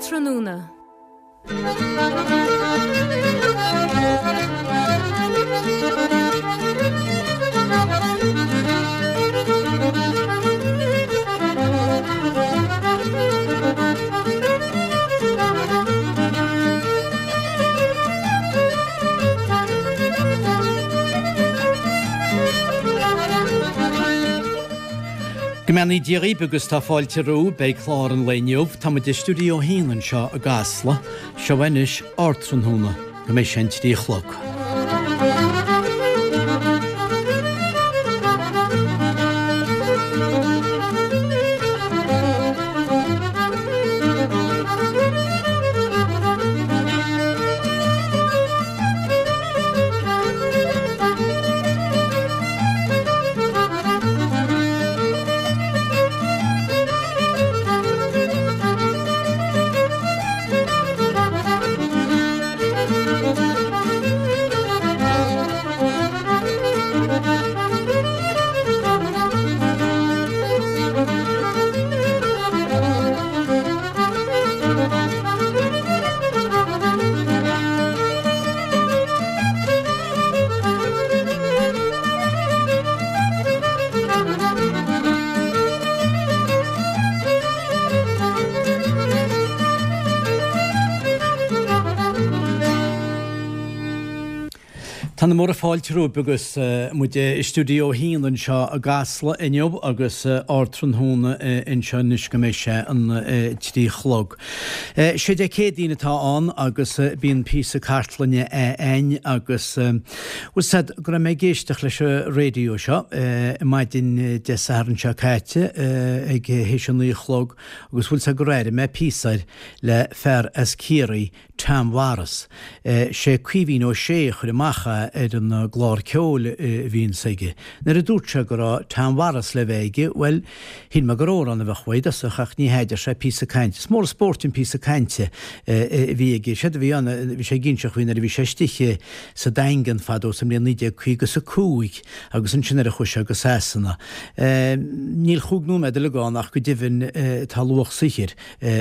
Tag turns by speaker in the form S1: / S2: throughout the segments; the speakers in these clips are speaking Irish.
S1: Ardtráthnóna.
S2: Go mbeannaí Dia dhaoibh agus tá fáilte romhaibh. Beidh clár an lae inniu. Tá muid i Stiúideo 1 anseo i gCasla. Seo anois Ardtráthnóna go mbeidh sé an 3 a chlog. Tá na móra fáilte romhaibh agus muid i Stiúideo 1 anseo i gCasla inniu agus Ardtráthnóna anseo anois go mbeidh sé an 3 chlog. Sé Dé Céadaoin atá ann agus bíonn píosa cartlainne a'ainn agus bhfuil 's a'd go raibh mé ag éisteacht leis an raidió seo maidin Dé Sathairn seo caite ag théis a 9 a chlog agus bhfuil 's a'd gur airigh mé píosa air le fear as Ciarraí Tom Mharas. Sé Caoimhín Ó Sé a chuir amach é ar an gclár ceoil a bhíonns aige. Nuair a dúirt sé go raibh Tom Mharas le bheith aige, bhuel, shíl mé gur amhrán a bheadh uaidh i dtosach ach ní hea, deir sé, píosa cainte. Is mór an spóirt an píosa cainte a bhí aige. Séard a bhí ann, bhí sé ag inseacht faoi nuair a bhí sé istigh sa Daingean fadó sa mbliain 1955 agus ansin nuair a chuaigh sé go Sasana. Níl chúig nóiméad uilig ann ach go deimhin tá luach saothair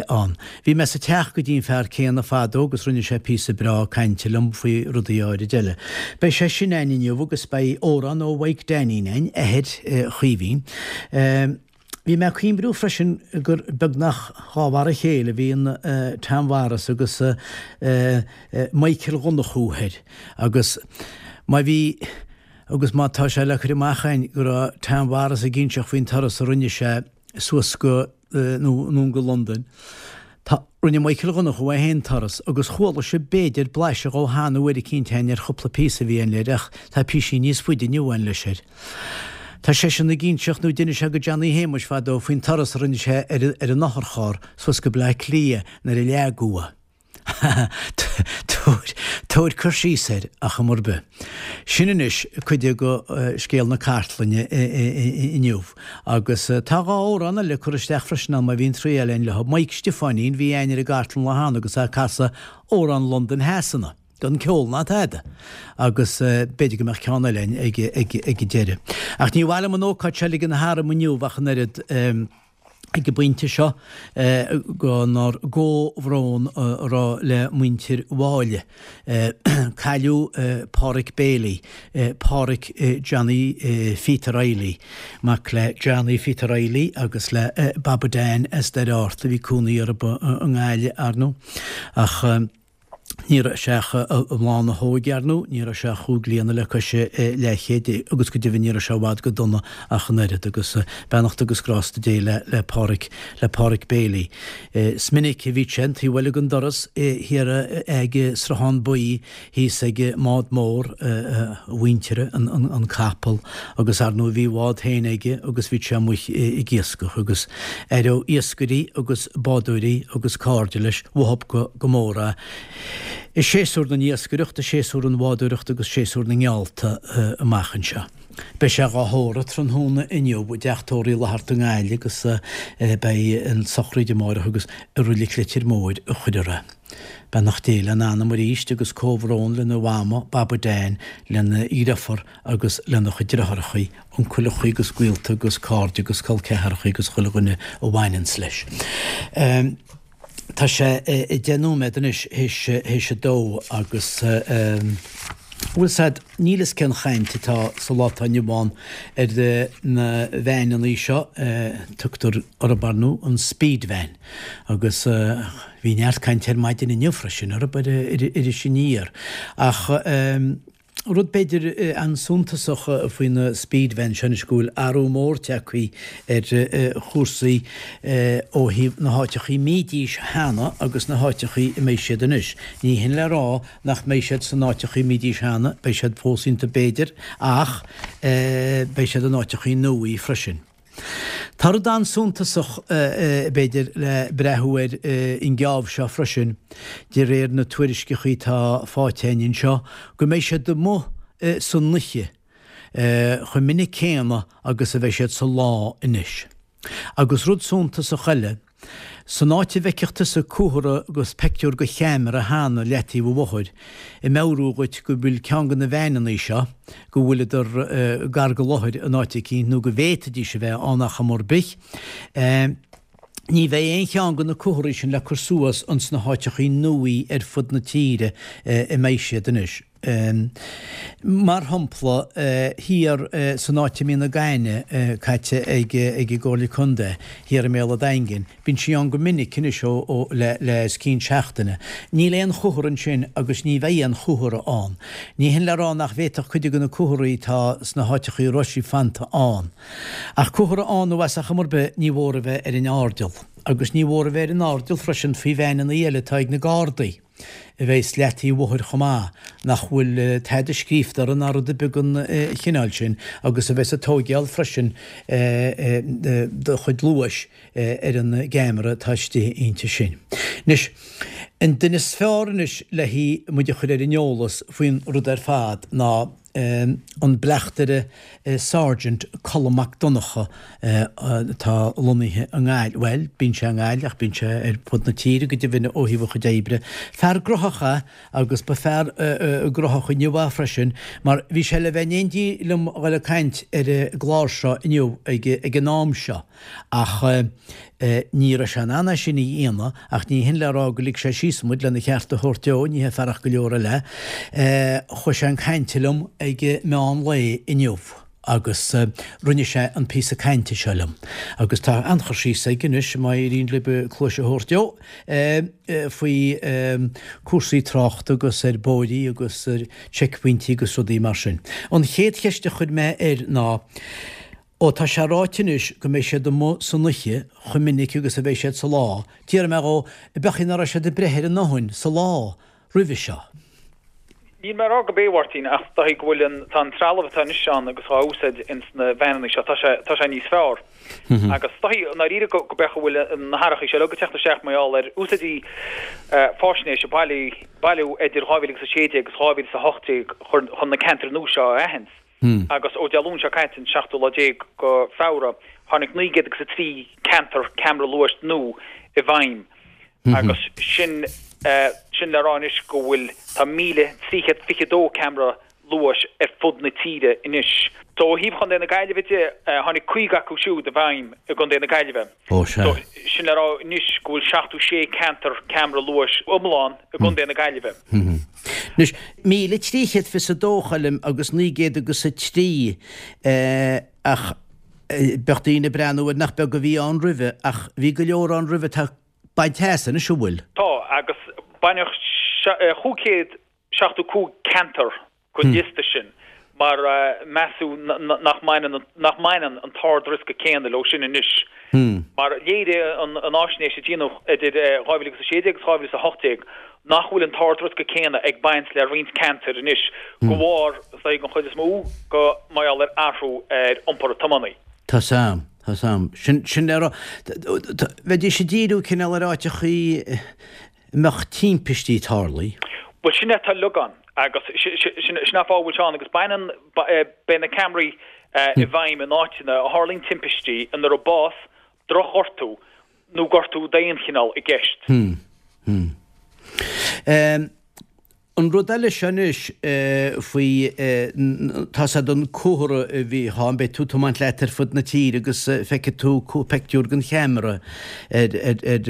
S2: ann. Bhí mé sa teach go dtí an fear céanna fadó agus rinne sé píosa breá cainte liom faoi rudaí áirid eile. Beidh sé sin a'ainn inniu agus beidh amhrán ó Mhaidhc Dainín a'ainn, athair Chaoimhín. Bhí mé ag cuimhniú freisin gur beagnach dhá mhar a chéile a bhí an Tom Mharas agus Michael Dhonnchú thoir agus má bhí agus má tá sé le cur amach a'ainn go raibh Tom Mharas ag inseacht faoin turas a rinne sé suas go nó anonn go Londain. Tá, rinne Michael Dhonnchú é féin turas agus chuala sibh b'fhéidir blaiseadh dhó cheana uair eicínt a'ainn ar chúpla píosa a bhí a'ainn leir ach tá píosaí níos faide inniu a'ainn leis air. Tá seisean ag inseacht nó d'inis sé go Johnny Shéamuis fadó faoin turas a rinne sé ar ar an otharcharr suas go Bleá Cliath nuair a leagadh é. Tabhair cur síos air ar chuma ar bith. Sin anois cuid de scéal na cartlainne inniu. Agus tá dhá amhrán eile curtha isteach freisin ann má bhíonn triail a'ainn leo. Mike Stiofáinín, bhí a'ainn ar an gcartlann lá cheana agus é ag casadh amhrán Londain Shasana, gan ceol ná tada. Agus b'fhéidir go mbeadh ceann eile a'ainn ag an deireadh. Ach ní mhaith liom an ócáid seo a ligean tharam inniu ach an oiread. ag an bpointe seo ár gcomhbhrón a rá le muintir Mháille. Cailleadh Páraic Bailey, Páraic Johnny Pheta Reilly, mac le Johnny Pheta Reilly agus le Baba Dan as Doire Fhatharta, bhí cónaí orthu i nGaillimh, ar ndóigh, ach. Ní raibh sé ach i mbláth na hóige, ar ndóigh, ní raibh sé ach chúig bliana le cois leathchéid, agus go deimhin ní raibh sé i bhfad go dona ach an oiread, agus beannacht agus grásta Dé le le Páraic, le Páraic Bailey. Is minic a bhíodh sé an taobh eile den doras, thiar ag Sruthán Buí, thíos ag an mbád mór a mhuintire, an an capall, agus ar ndóigh bhí a bhád féin aige agus bhíodh sé amuigh ag iascach, agus aireodh iascairí agus bádóirí agus cairde leis uathub go mór é. I séasúr na n-iascaireacht, i séasúr an bhádóireacht agus séasúr na ngeallta amach anseo. Beidh sé dhá thórramh tráthnóna inniu i dteach tórraimh Uí Fhlatharta i nGaillimh agus beidh an tsochraíd amáireach agus i Reilig Leitir Móir a chuirfear é. Beannacht Dé lena anam arís agus comhbhrón lena mhama, Baba Dan, lena dhriofar agus lena chuid driotháireachaí, uncaileachaí agus gaolta agus cairde agus col ceatharachaí agus chuile dhuine a bhaineanns leis. Tá sé 10 nóiméad anois théis a dó agus bhfuil 's a'd, níl fhios cén chaint atá sa lá atá inniu ann ar na veaineannaí seo, tugtar orthub ar ndóigh an speed van agus bhí neart cainte ar maidin inniu freisin orthub ar Iris Aniar ach Rud b'fhéidir an-suntasach faoi na speed vans seo anois go bhfuil athrú mór tagtha ar chúrsaí ó thaobh na háiteachaí a mbídís cheana agus na háiteachaí a mbeidh siad anois. Ní hin le rá nach mbeidh siad san áiteachaí a mbídís cheana, beidh siad fós iontu b'fhéidir, ach beidh siad in áiteachaí nuaí freisin. Tá rud an-suntasach, b'fhéidir, le breathú air an geábh seo freisin, de réir na tuairisceachaí atá faighte againn anseo, go mbeidh siad amuigh san oíche chomh minic céanna agus a bheidh siad sa lá anois. Agus rud suntasach eile, San áit a bhfeicfeadh tusa comhartha agus peictiúr de cheamara cheana leataobh an bhóthair, ag meabhrú dhuit go bhfuil ceann de na veaineannaí seo, go bhfuileadar gar go láthair in áit eicínt nó go bhféadfaidís a bheith ann ach am ar bith, ní bheidh aon cheann de na comharthaí sin le cur suas ins na háiteachaí nuaí ar fud na tíre a mbeidh siad anois. Mar shampla, thiar san áit a mbíonn na gaineamh caite ag an gComhairle Contae, thiar i mbéal an Daingin, bíonn sí ann go minic anois ó le os cionn seachtaine. Níl aon chomhartha ansin agus ní bheidh aon chomhartha ann. Ní hin le rá nach bhféadfadh cuid de na comharthaí atá sna háiteachaí a raibh sí fanta ann. Ach comhartha ann nó as ach am ar bith, ní mhór a bheith ar an airdeall. Agus ní mhór a bheith ar an airdeall freisin faoi veaineannaí eile atá ag na Gardaí. a bheas leataobh an bhóthair chomh maith, nach bhfuil tada scríofa orthu ná rud ar bith den chineál sin agus a bheas ag tóigeáil freisin do chuid luais ar an gceamara atá istigh inti sin. Anois, an duine is fearr anois le muid a chur ar an eolas faoin rud ar fad ná an bleachtaire Sergeant Colm Mac Donncha atá lonnaithe i nGaillimh, bhuel, bíonn sé i nGaillimh ach bíonn sé ar fud na tíre go deimhin ó thaobh a chuid oibre. Fear graitheach é agus ba fear graitheach inniu é freisin mar bhí sé le bheith in éindí liom a dhul ag caint ar an gclár seo inniu ag an am seo. Ach ní raibh sé in ann é sin a dhéanamh, ach ní hin le rá gur lig sé síos muid lena cheart a thabhairt dó, ní hé fearacht go leor eile. Chuaigh sé chun cainte liom ag meán lae inniu agus rinne sé an píosa cainte seo liom. Agus tá an-chur síos aige anois, má éiríonn libh cluais a thabhairt dó, faoi cúrsaí tráchta agus ar bóithrí agus ar cheicphointí agus rudaí mar sin. An chéad cheist a chuir mé air ná, Ó tá sé ráite anois go mbeidh siad amuigh san oíche chomh minic agus a bheidh siad sa lá, d'fhiafraigh mé dhó, ab é nach raibh siad ag breith ar a ndóthain sa lá roimhe seo?
S1: Níl mé ag rá gurb é, a Mháirtín, ach is dóichí go bhfuil an, tá an trealamh atá anois ann agus á úsáid ins na veaineanna seo, tá sé, tá sé níos fearr. Agus is dóichí, i ndáiríre, go, go beadh a bhfuil na hathrachaí seo uilig ag teacht isteach mar gheall ar úsáidí faisnéis a bailíodh, bailíodh idir 2016 agus 2018 chun, chun na ceantair nua seo a aithint. Agus ó Dé Luain seo caite, an seachtú lá déag go Feabhra, tháinig 903 ceantar ceamara luais nua i bhfeidhm. Agus sin, sin le rá anois go bhfuil, tá 1,322 ceamara luais ar fud na tíre anois. So ó thaobh Chontae na Gaillimhe de, tháinig 50 acu siúd i bhfeidhm i gContae na Gaillimhe.
S2: Ó sea.
S1: So sin le rá anois go bhfuil 76 ceantar ceamara luais iomlán i gContae na Gaillimhe.
S2: Anois, 1,322 Choilm agus 900 agus 3 ach bheadh daoine ag breathnú air nach beag a bhí ann roimhe ach bhí go leor ann roimhe atá bainte as anois, an bhfuil?
S1: Tá, agus baineadh 575 ceantar den liosta sin mar measadh nach mbaineann nach mbaineann an t-ard-riosca céanna leo sin anois. Mar léirigh an fháisnéis a déanadh idir 2016 agus 2018 nach bhfuil an t-ard-riosca céanna ag baint le roinnt ceantar anois de bharr, is dóigh, den chuid is mó, go mar gheall ar athrú ar iompar an tiománaí.
S2: Tá 's a'm, tá 's a'm. Sin, sin le rá, bheidís ag díriú cineál ar áiteachaí a mbeadh timpistí tarlaithe.
S1: Bhuel, sin é atá uilig ann agus sin é an fáth a bhfuil sé ann agus baineann, beidh na ceamaraí i bhfeidhm in áiteanna a tharlaíonn timpistí ina raibh bás, drochghortú nó gortú d'aon chineál i gceist.
S2: Hmm. Hmm. An rud eile seo anois faoi, tá's a'd an comhartha a bhíodh ann, beidh tú ag tiomáint leat ar fud na tíre agus feicfidh tú peictiúr den cheamara ar ar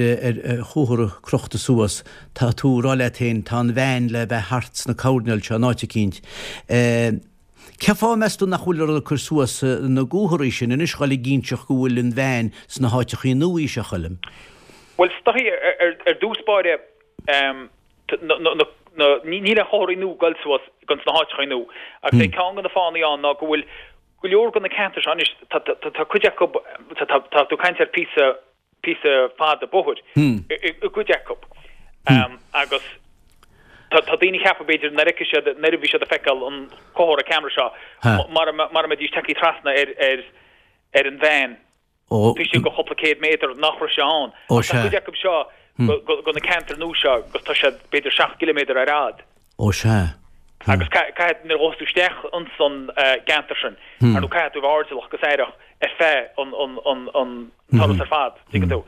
S2: chomhartha crochta suas, tá tú ag rá leat féin tá an veain le bheith thart sna coirnéil seo in áit eicínt. Cé fáth meas tú nach bhfuil ag cur suas na gcomharthaí sin anois dhul ag inseacht go bhfuil an veain sna háiteachaí nua seo, a Choilm?
S1: Bhuel, is dóichí ar dtús báire, níl aon chomharthaí nua ag goil suas ins na háiteachaí nua. Agus é ceann de na fáthanna ann ná go bhfuil go leor de na ceantair seo anois, tá cuid acu, tá tú ag caint ar píosa, píosa fada bóthair i gcuid acu. Agus tá daoine ag ceapadh b'fhéidir nuair a fheicfidh siad, nuair a bhí siad ag feiceáil an comhartha ceamara seo, mara mbeidís tagtha trasna ar an veain, Taobh istigh de chúpla céad méadar nach raibh sé ann. Ach tá cuid acu seo go na ceantair nua seo agus tá siad b'fhéidir 7 gciliméadar ar fhad.
S2: Ó sea.
S1: Agus caithfidh, nuair a ghabhfas tú isteach ins an gceantar sin, ar ndóigh caithfidh tú a bheith airdeallach agus aireach ar feadh an turas ar fad, tuigeann tú.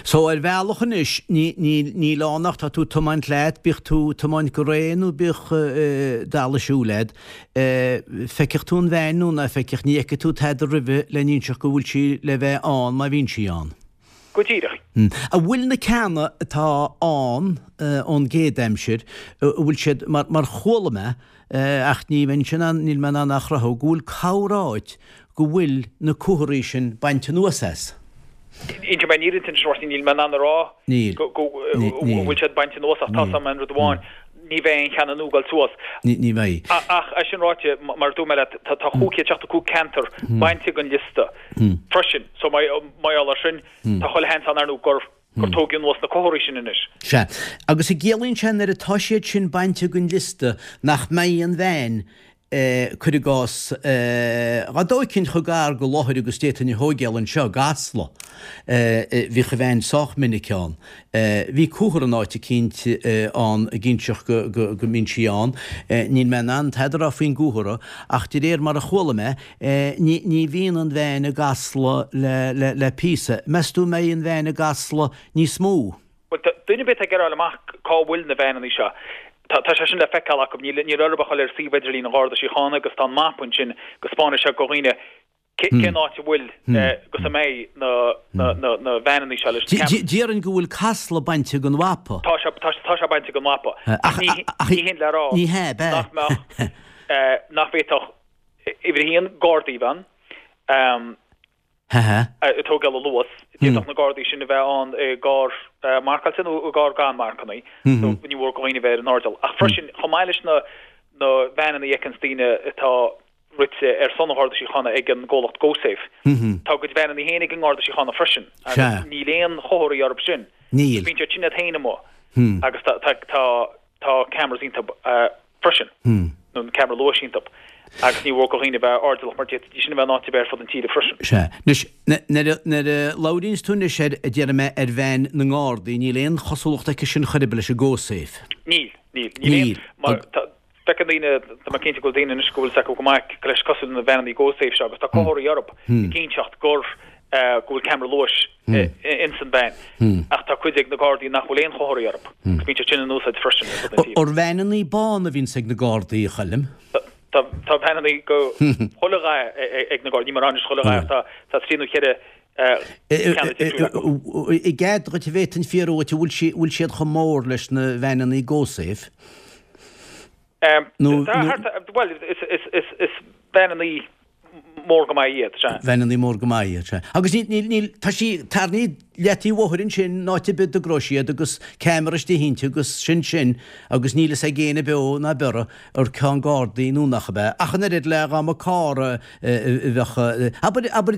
S2: So ar bhealach anois, níl ann ach tá tú ag tiomáint leat, bíodh tú ag tiomáint go réidh nó bíodh dall ag siúl leat, feicfidh tú an veain nó ná feicfidh, ní fheicfidh tú tada roimhe le n-inseacht go bhfuil sí le bheith ann má bhíonn sí ann.
S1: Go díreach.
S2: An bhfuil na ceanna atá ann ón gcéad aimsir, an bhfuil siad, mar chuala mé, ach ní bheinn in ann, níl mé in ann a chruthú, go bhfuil corráit go bhfuil na comharthaí sin bainte anuas as.
S1: Inseoidh mé an fhírinne duit anois, a Mháirtín, níl mé in ann a rá go bhfuil siad bainte anuas ach tá 's agam aon rud amháin, ní bheidh aon cheann nua ag dul suas.
S2: Ní bheidh.
S1: Ach é sin ráite, mar a dúirt mé leat, tá 575 ceantar bainte den liosta freisin, so mar gheall air sin, tá chuile sheans ann ar ndóigh gur gur tógadh anuas na comharthaí sin anois.
S2: Sea. Agus an gciallaíonn sé nuair atá siad sin bainte den liosta nach mbeidh an veain, cuir i gcás, dá dtóigfinn chomh gar go láthair agus d'fhéadfainn a thóigeáil anseo i gCasla, bhíodh an veain sách minic ann. Bhí comhartha in áit eicínt ann ag inseacht go mbíonn sí ann. Níl mé in ann tada a rá faoin gcomhartha ach de réir mar a chuala mé, Ní bhíonn an veain i gCasla le píosa. Meas tú an mbeidh an veain i gCasla níos mó?
S1: Bhuel, duine ar bith atá ag iarraidh a fháil amach cá bhfuil na veaineanna seo, tá sé sin le feiceáil acu. Níl orthu ach dul ar suíomh idirlín an Gharda Síochána agus tá an mapa ansin go 'spáinfidh sé go dhaoine cén áit a bhfuil agus a mbeidh na veaineanna seo leis
S2: na ceamaraí. Déarfainn go bhfuil Casla bainte den mhapa.
S1: Tá sé, tá sé bainte den mhapa. Ach ní hin le rá nach mbeadh, nach bhféadfadh Uimhir a haon, Gardaí a bheith ann ag tógáil an luas. D'fhéadfadh na Gardaí sin a bheith ann i gcarr marcáilte nó i gcarr gan marcanna. So ní mór do dhaoine a bheith ar an airdeall. Ach freisin, chomh maith leis na na veaineanna a fheiceanns daoine atá rite ar son an Gharda Síochána ag an gcomhlacht GoSafe, tá a gcuid veaineanna féin ag an nGarda Síochána freisin agus níl aon chomharthaí orthu sin.
S2: Níl.
S1: Bíonn siad sin iad féin amuigh agus tá tá Tá cameras iontu freisin, nó an ceamara luais iontu, agus ní mhór do dhaoine a bheith airdeallach mar d'fhéadfaidís sin a bheith in áit ar bith ar fud an tíre freisin.
S2: Sea. Anois, nuair a labhraíonns tú anois ar, a déarfaidh mé, ar veain na nGardaí, níl aon chosúlacht aici sin chor ar bith leis an GoSafe.
S1: Níl, níl. Níl aon, mar tá, feiceann daoine, tá mé cinnte go bhfuil daoine anois go bhfuil 's acu go maith go leis cosúil le na veaineanna GoSafe seo agus tá comharthaí orthu ag inseacht gur, go bhfuil ceamara luais ins an veain ach tá cuid ag na Gardaí nach bhfuil aon chomharthaí orthu agus bíonn siad sin in úsáid freisin ar fud na
S2: tíre. Ar veaineanna bána a bhíonns ag na Gardaí, a Choilm?
S1: Tá veaineanna go chuile dhath ag na Gardaí, níl mé ag rá anois chuile dhath ach tá trí nó cheithre ceann difriúil
S2: acu. I gcead dhuit an bhféadfainn fiafraí dhuit an bhfuil siad chomh mór leis na veaineanna GoSafe?
S1: Nó, bhuel, is veaineanna mór go maith iad,
S2: sea. Veaineanna mór go maith iad, sea. Agus níl, níl, níl, tá sí tarraingthe leataobh an bhóthair ansin, in áit ar bith a dtogróidh siad agus ceamara istigh inti agus sin sin agus níl fhios ag éinne beo ná biorra ar ceann Gardaí nó nach ab ea. Ach an oiread le dhá mba carr a bheadh, abair, abair,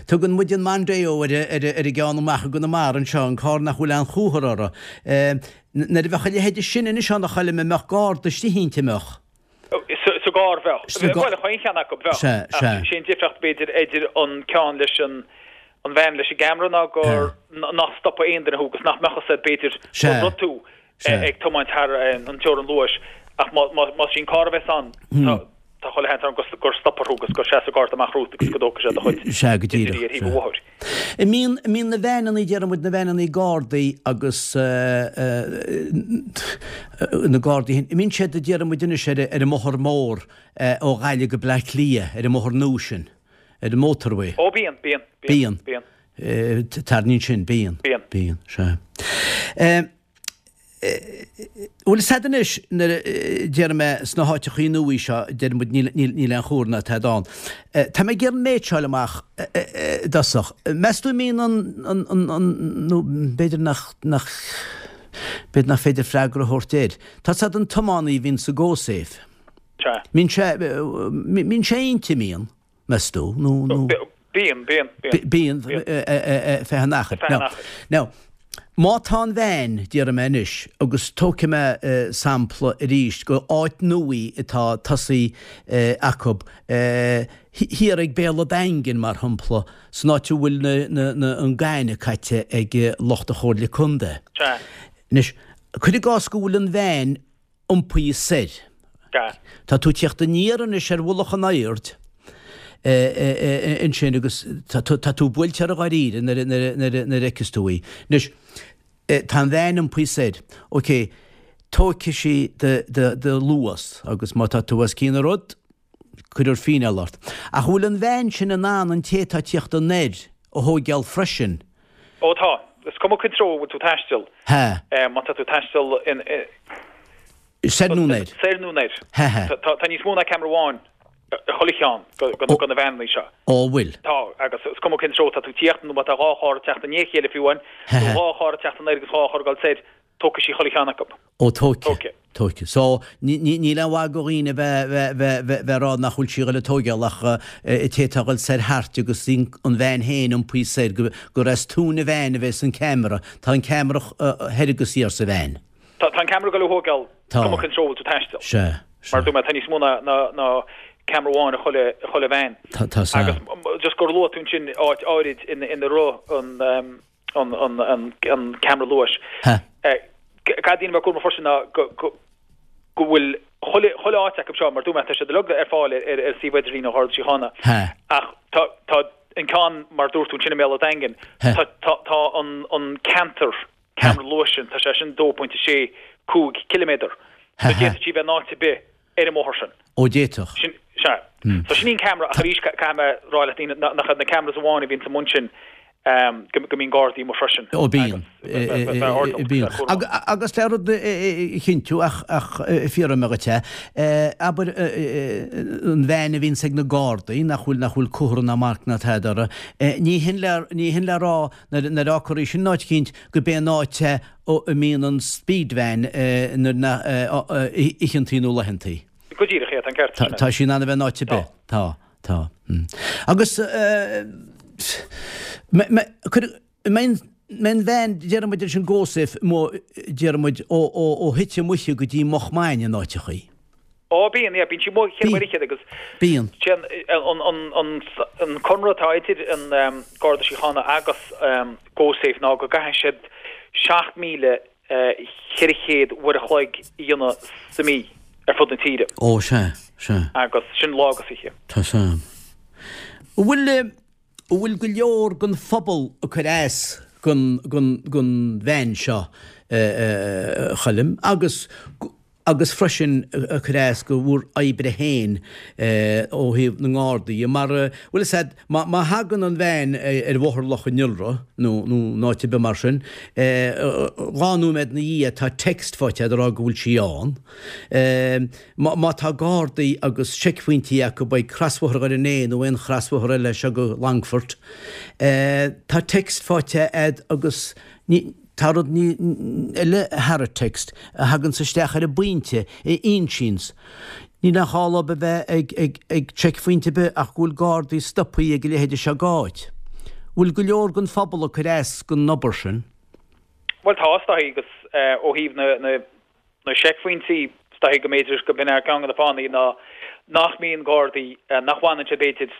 S2: tugann muid an Mondeo ar, ar, ar an gceann amach i gConamara anseo, an carr nach bhfuil aon chomhartha orthu. Nuair a bheadh a leithéide sin anois ann a Choilm, an mbeadh garda istigh inti, an mbeadh?
S1: Sa gcarr, bheadh. Bhuel, chaon cheann acu, bheadh. Sea, sea. Ach sé an difríocht, b'fhéidir, idir an ceann leis an an veain leis an gceamara ná gur nach stopfadh aon duine thú agus nach mbeadh fhios agat, b'fhéidir, go raibh tú ag tiomáint thar an teorainn luais. Ach más í an carr a bheas ann, tá chuile sheans ann gur stopfar thú agus gur seasfaidh garda amach romhat agus go dtógfaidh sé do chuid
S2: Sea, go díreach. ar thaobh an bhóthair. An mbíonn, an mbíonn na veaineanna, déarfaidh muid, na veaineanna Gardaí agus. Na Gardaí féin, an mbíonn siad, déarfaidh muid anois, ar an mbóthar mór ó Ghaillimh go Bleá Cliath, ar an mbóthar nua sin, ar an motorway?
S1: Ó bíonn, bíonn,
S2: bíonn. Bíonn. Tarraingíonn sin, bíonn.
S1: Bíonn.
S2: Bíonn, sea. Bhuel, is ea anois, nuair a déarfaidh mé sna háiteachaí nuaí seo, deir muid níl, níl, níl aon chomhartha ná tada ann. Tá mé ag iarraidh an méid seo a fháil amach i dtosach. Meas tú an mbíonn an, an, an, an, nó b'fhéidir nach, nach, b'fhéidir nach féidir freagra a thabhairt air. Tá 's a'd an tiománaí a bhíonn sa GoSafe.
S1: Sea.
S2: Mbíonn sé, mbíonn sé inti, mbíonn? meas tú, nó,
S1: nó. Bíonn, bíonn,
S2: bíonn. Bíonn, feadh an achair.
S1: Feadh an achair.
S2: Now, má tá an veain, déarfaidh mé anois, agus tógfaidh mé sampla arís go áit nuaí atá tosaithe acu, thiar ag Béal a' Daingin, mar shampla, san áit a bhfuil na, na, na, an gaineamh caite ag lucht an Chomhairle Contae.
S1: Sea.
S2: Anois, cuir i gcás go bhfuil an veain iompaithe soir.
S1: Sea.
S2: Tá tú ag tíocht aniar anois ar mhullach an aird ansin agus tá tú buailte uirthi dháiríre nuair a fheiceas tú í. Anois, tá an veain iompaithe soir. Ok, tógfaidh sí do luas agus má tá tú os cionn an rud, cuirfear fíneáil ort. Ach an bhfuil an veain sin in ann an té atá ag tíocht anoir a thóigeáil freisin?
S1: Ó tá. Is cuma cén treo a bhfuil tú ag taisteal.
S2: Ha.
S1: Má tá tú ag taisteal in.
S2: Soir nó anoir.
S1: Soir nó anoir.
S2: Ha ha.
S1: Tá níos mó ná ceamara amháin i chuile cheann de na veaineanna seo.
S2: Ó bhfuil.
S1: Tá, agus is cuma cén treo atá tú ag tíocht nó má tá dhá charr ag teacht i ndiaidh a chéile fiú amháin, nó dhá charr ag teacht anoir agus dhá charr ag dul soir, Tógfaidh sí chuile cheann acu.
S2: Ó, tógfaidh. Tógfaidh. So, níl aon mhaith go dhaoine bheith, bheith, bheith ag rá nach bhfuil sí ag dul a tóigeáil ach an té atá ag dul soir thairti agus an veain féin iompaithe soir, gur as tóin an veain a bheas an ceamara. Tá an ceamara thoir agus thiar sa
S1: veain. Tá, tá an ceamara ag dul a thóigeáil
S2: Tá.
S1: cuma cén treo a bhfuil tú ag taisteal.
S2: Sea, sea.
S1: Mar a dúirt mé, tá níos mó ná, ná, ná ceamara amháin i chuile, i chuile veain.
S2: Tá, tá, sea.
S1: Agus just gur luaigh tú ansin áit áirid ina, ina raibh an, an ceamara luais. Caithfidh daoine a bheith cúramach freisin ná go bhfuil chuile áit acu seo, mar dúirt mé, tá siad uilig ar fáil ar suíomh idirlín an Gharda Síochána. Ach tá an ceann, mar dúirt tú ansin i mBéal an Daingin, tá an ceantar ceamara luais sin, tá sé sin 2.65 ciliméadar. So d'fhéadfadh sí a bheith in áit ar bith ar an mbóthar sin.
S2: Ó d'fhéadfadh.
S1: Sin, sea. So sin í an ceamara, ach arís caithfidh mé rá le daoine nach iad na cameras amháin a bhíonn sa mbun sin, go mbíonn Gardaí amuigh freisin.
S2: Ó bíonn. Bíonn. Agus le rud a chinntiú ach fiafraíonn mé dhuit é, abair an veain a bhíonns ag na Gardaí nach bhfuil nach bhfuil comhartha ná marc ná tada uirthi, ní hin le ní hin le rá nuair a fhágfar í sin in áit eicínt go b'é an áit é a mbíonn an speed van nuair na oícheantaí nó laethantaí.
S1: Go díreach, é, tá an ceart
S2: sin. Tá sí in ann a bheith in áit ar bith. Tá, tá. Agus cuir mbeidh an veain, déarfaidh muid leis an GoSafe, déarfaidh muid ó Thite Muice go dtí Much Maine in áiteachaí.
S1: Ó bíonn, yeah, bíonn sí amuigh cheithre uair fhichead agus
S2: Bíonn.
S1: sé an an conradh atá idir an Garda Síochána agus GoSafe ná go gcaithfidh siad 7,400 uair a chloig a dhéanamh sa mhí ar fud na tíre.
S2: Ó sea, sea.
S1: Agus sin lá agus oíche.
S2: Tá 's a'm. An bhfuil, an bhfuil go leor den phobal ag cur as gon, gon, gon veain seo, a Choilm, agus agus freisin ag cur as go bhur oibre féin ó thaobh na nGardaí dhe, mar, bhfuil 'fhios a'd, má thagann an veain ar Bhóthar Loch an Iora nó in áit ar bith mar sin, dhá nóiméad ina dhiaidh tá text faighte a'd ag rá go bhfuil sí ann. Má tá Gardaí agus seicphointí acu ag crosbhóthar Dhoire an Fhéich nó aon chrosbhóthar eile seo go Longfort, tá text faighte a'd agus ní, Tá rud eile thar an text a thaganns isteach ar an bpointe, a insíonns. Níl aon chall dóibh a bheith ag ag seicphointe ar bith ach go bhfuil gardaí stopthaí ag a leithéide seo d'áit. Bhfuil go leor den phobal ag cur as don obair sin?
S1: Bhuel tá, is dóichí, agus ó thaobh na na na seicphointí, is dóichí go mb'fhéidir go b'in é ceann de na fáthanna ná nach mbíonn gardaí, nach bhfanann siad b'fhéidir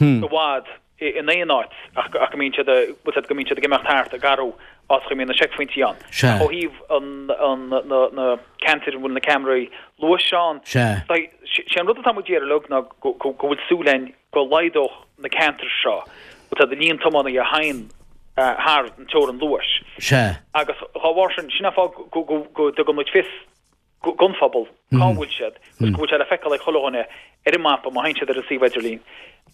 S1: i bhfad in aon áit ach go mbíonn siad, bhfuil 's a'd, go mbíonn siad ag imeacht thart ag athrú áiteacha a mbíonn na seicphointí ann.
S2: Sea.
S1: Ó thaobh an, an, na, na ceantair a bhfuil na ceamaraí luais ann,
S2: Sea.
S1: sé an rud atá muid ag iarraidh uilig ná go, go, go bhfuil súil againn go laghdódh na ceantair seo, bhfuil 's a'd, an líon tiománaithe a théann thar an teorainn luais.
S2: Sea.
S1: Agus dhá bharr sin, sin an fáth go, go, go dtugann muid fios. gon phobal cá bhfuil siad agus go bhfuil sé le feiceáil ag chuile dhuine ar an mapa má théann siad ar an suíomh idirlín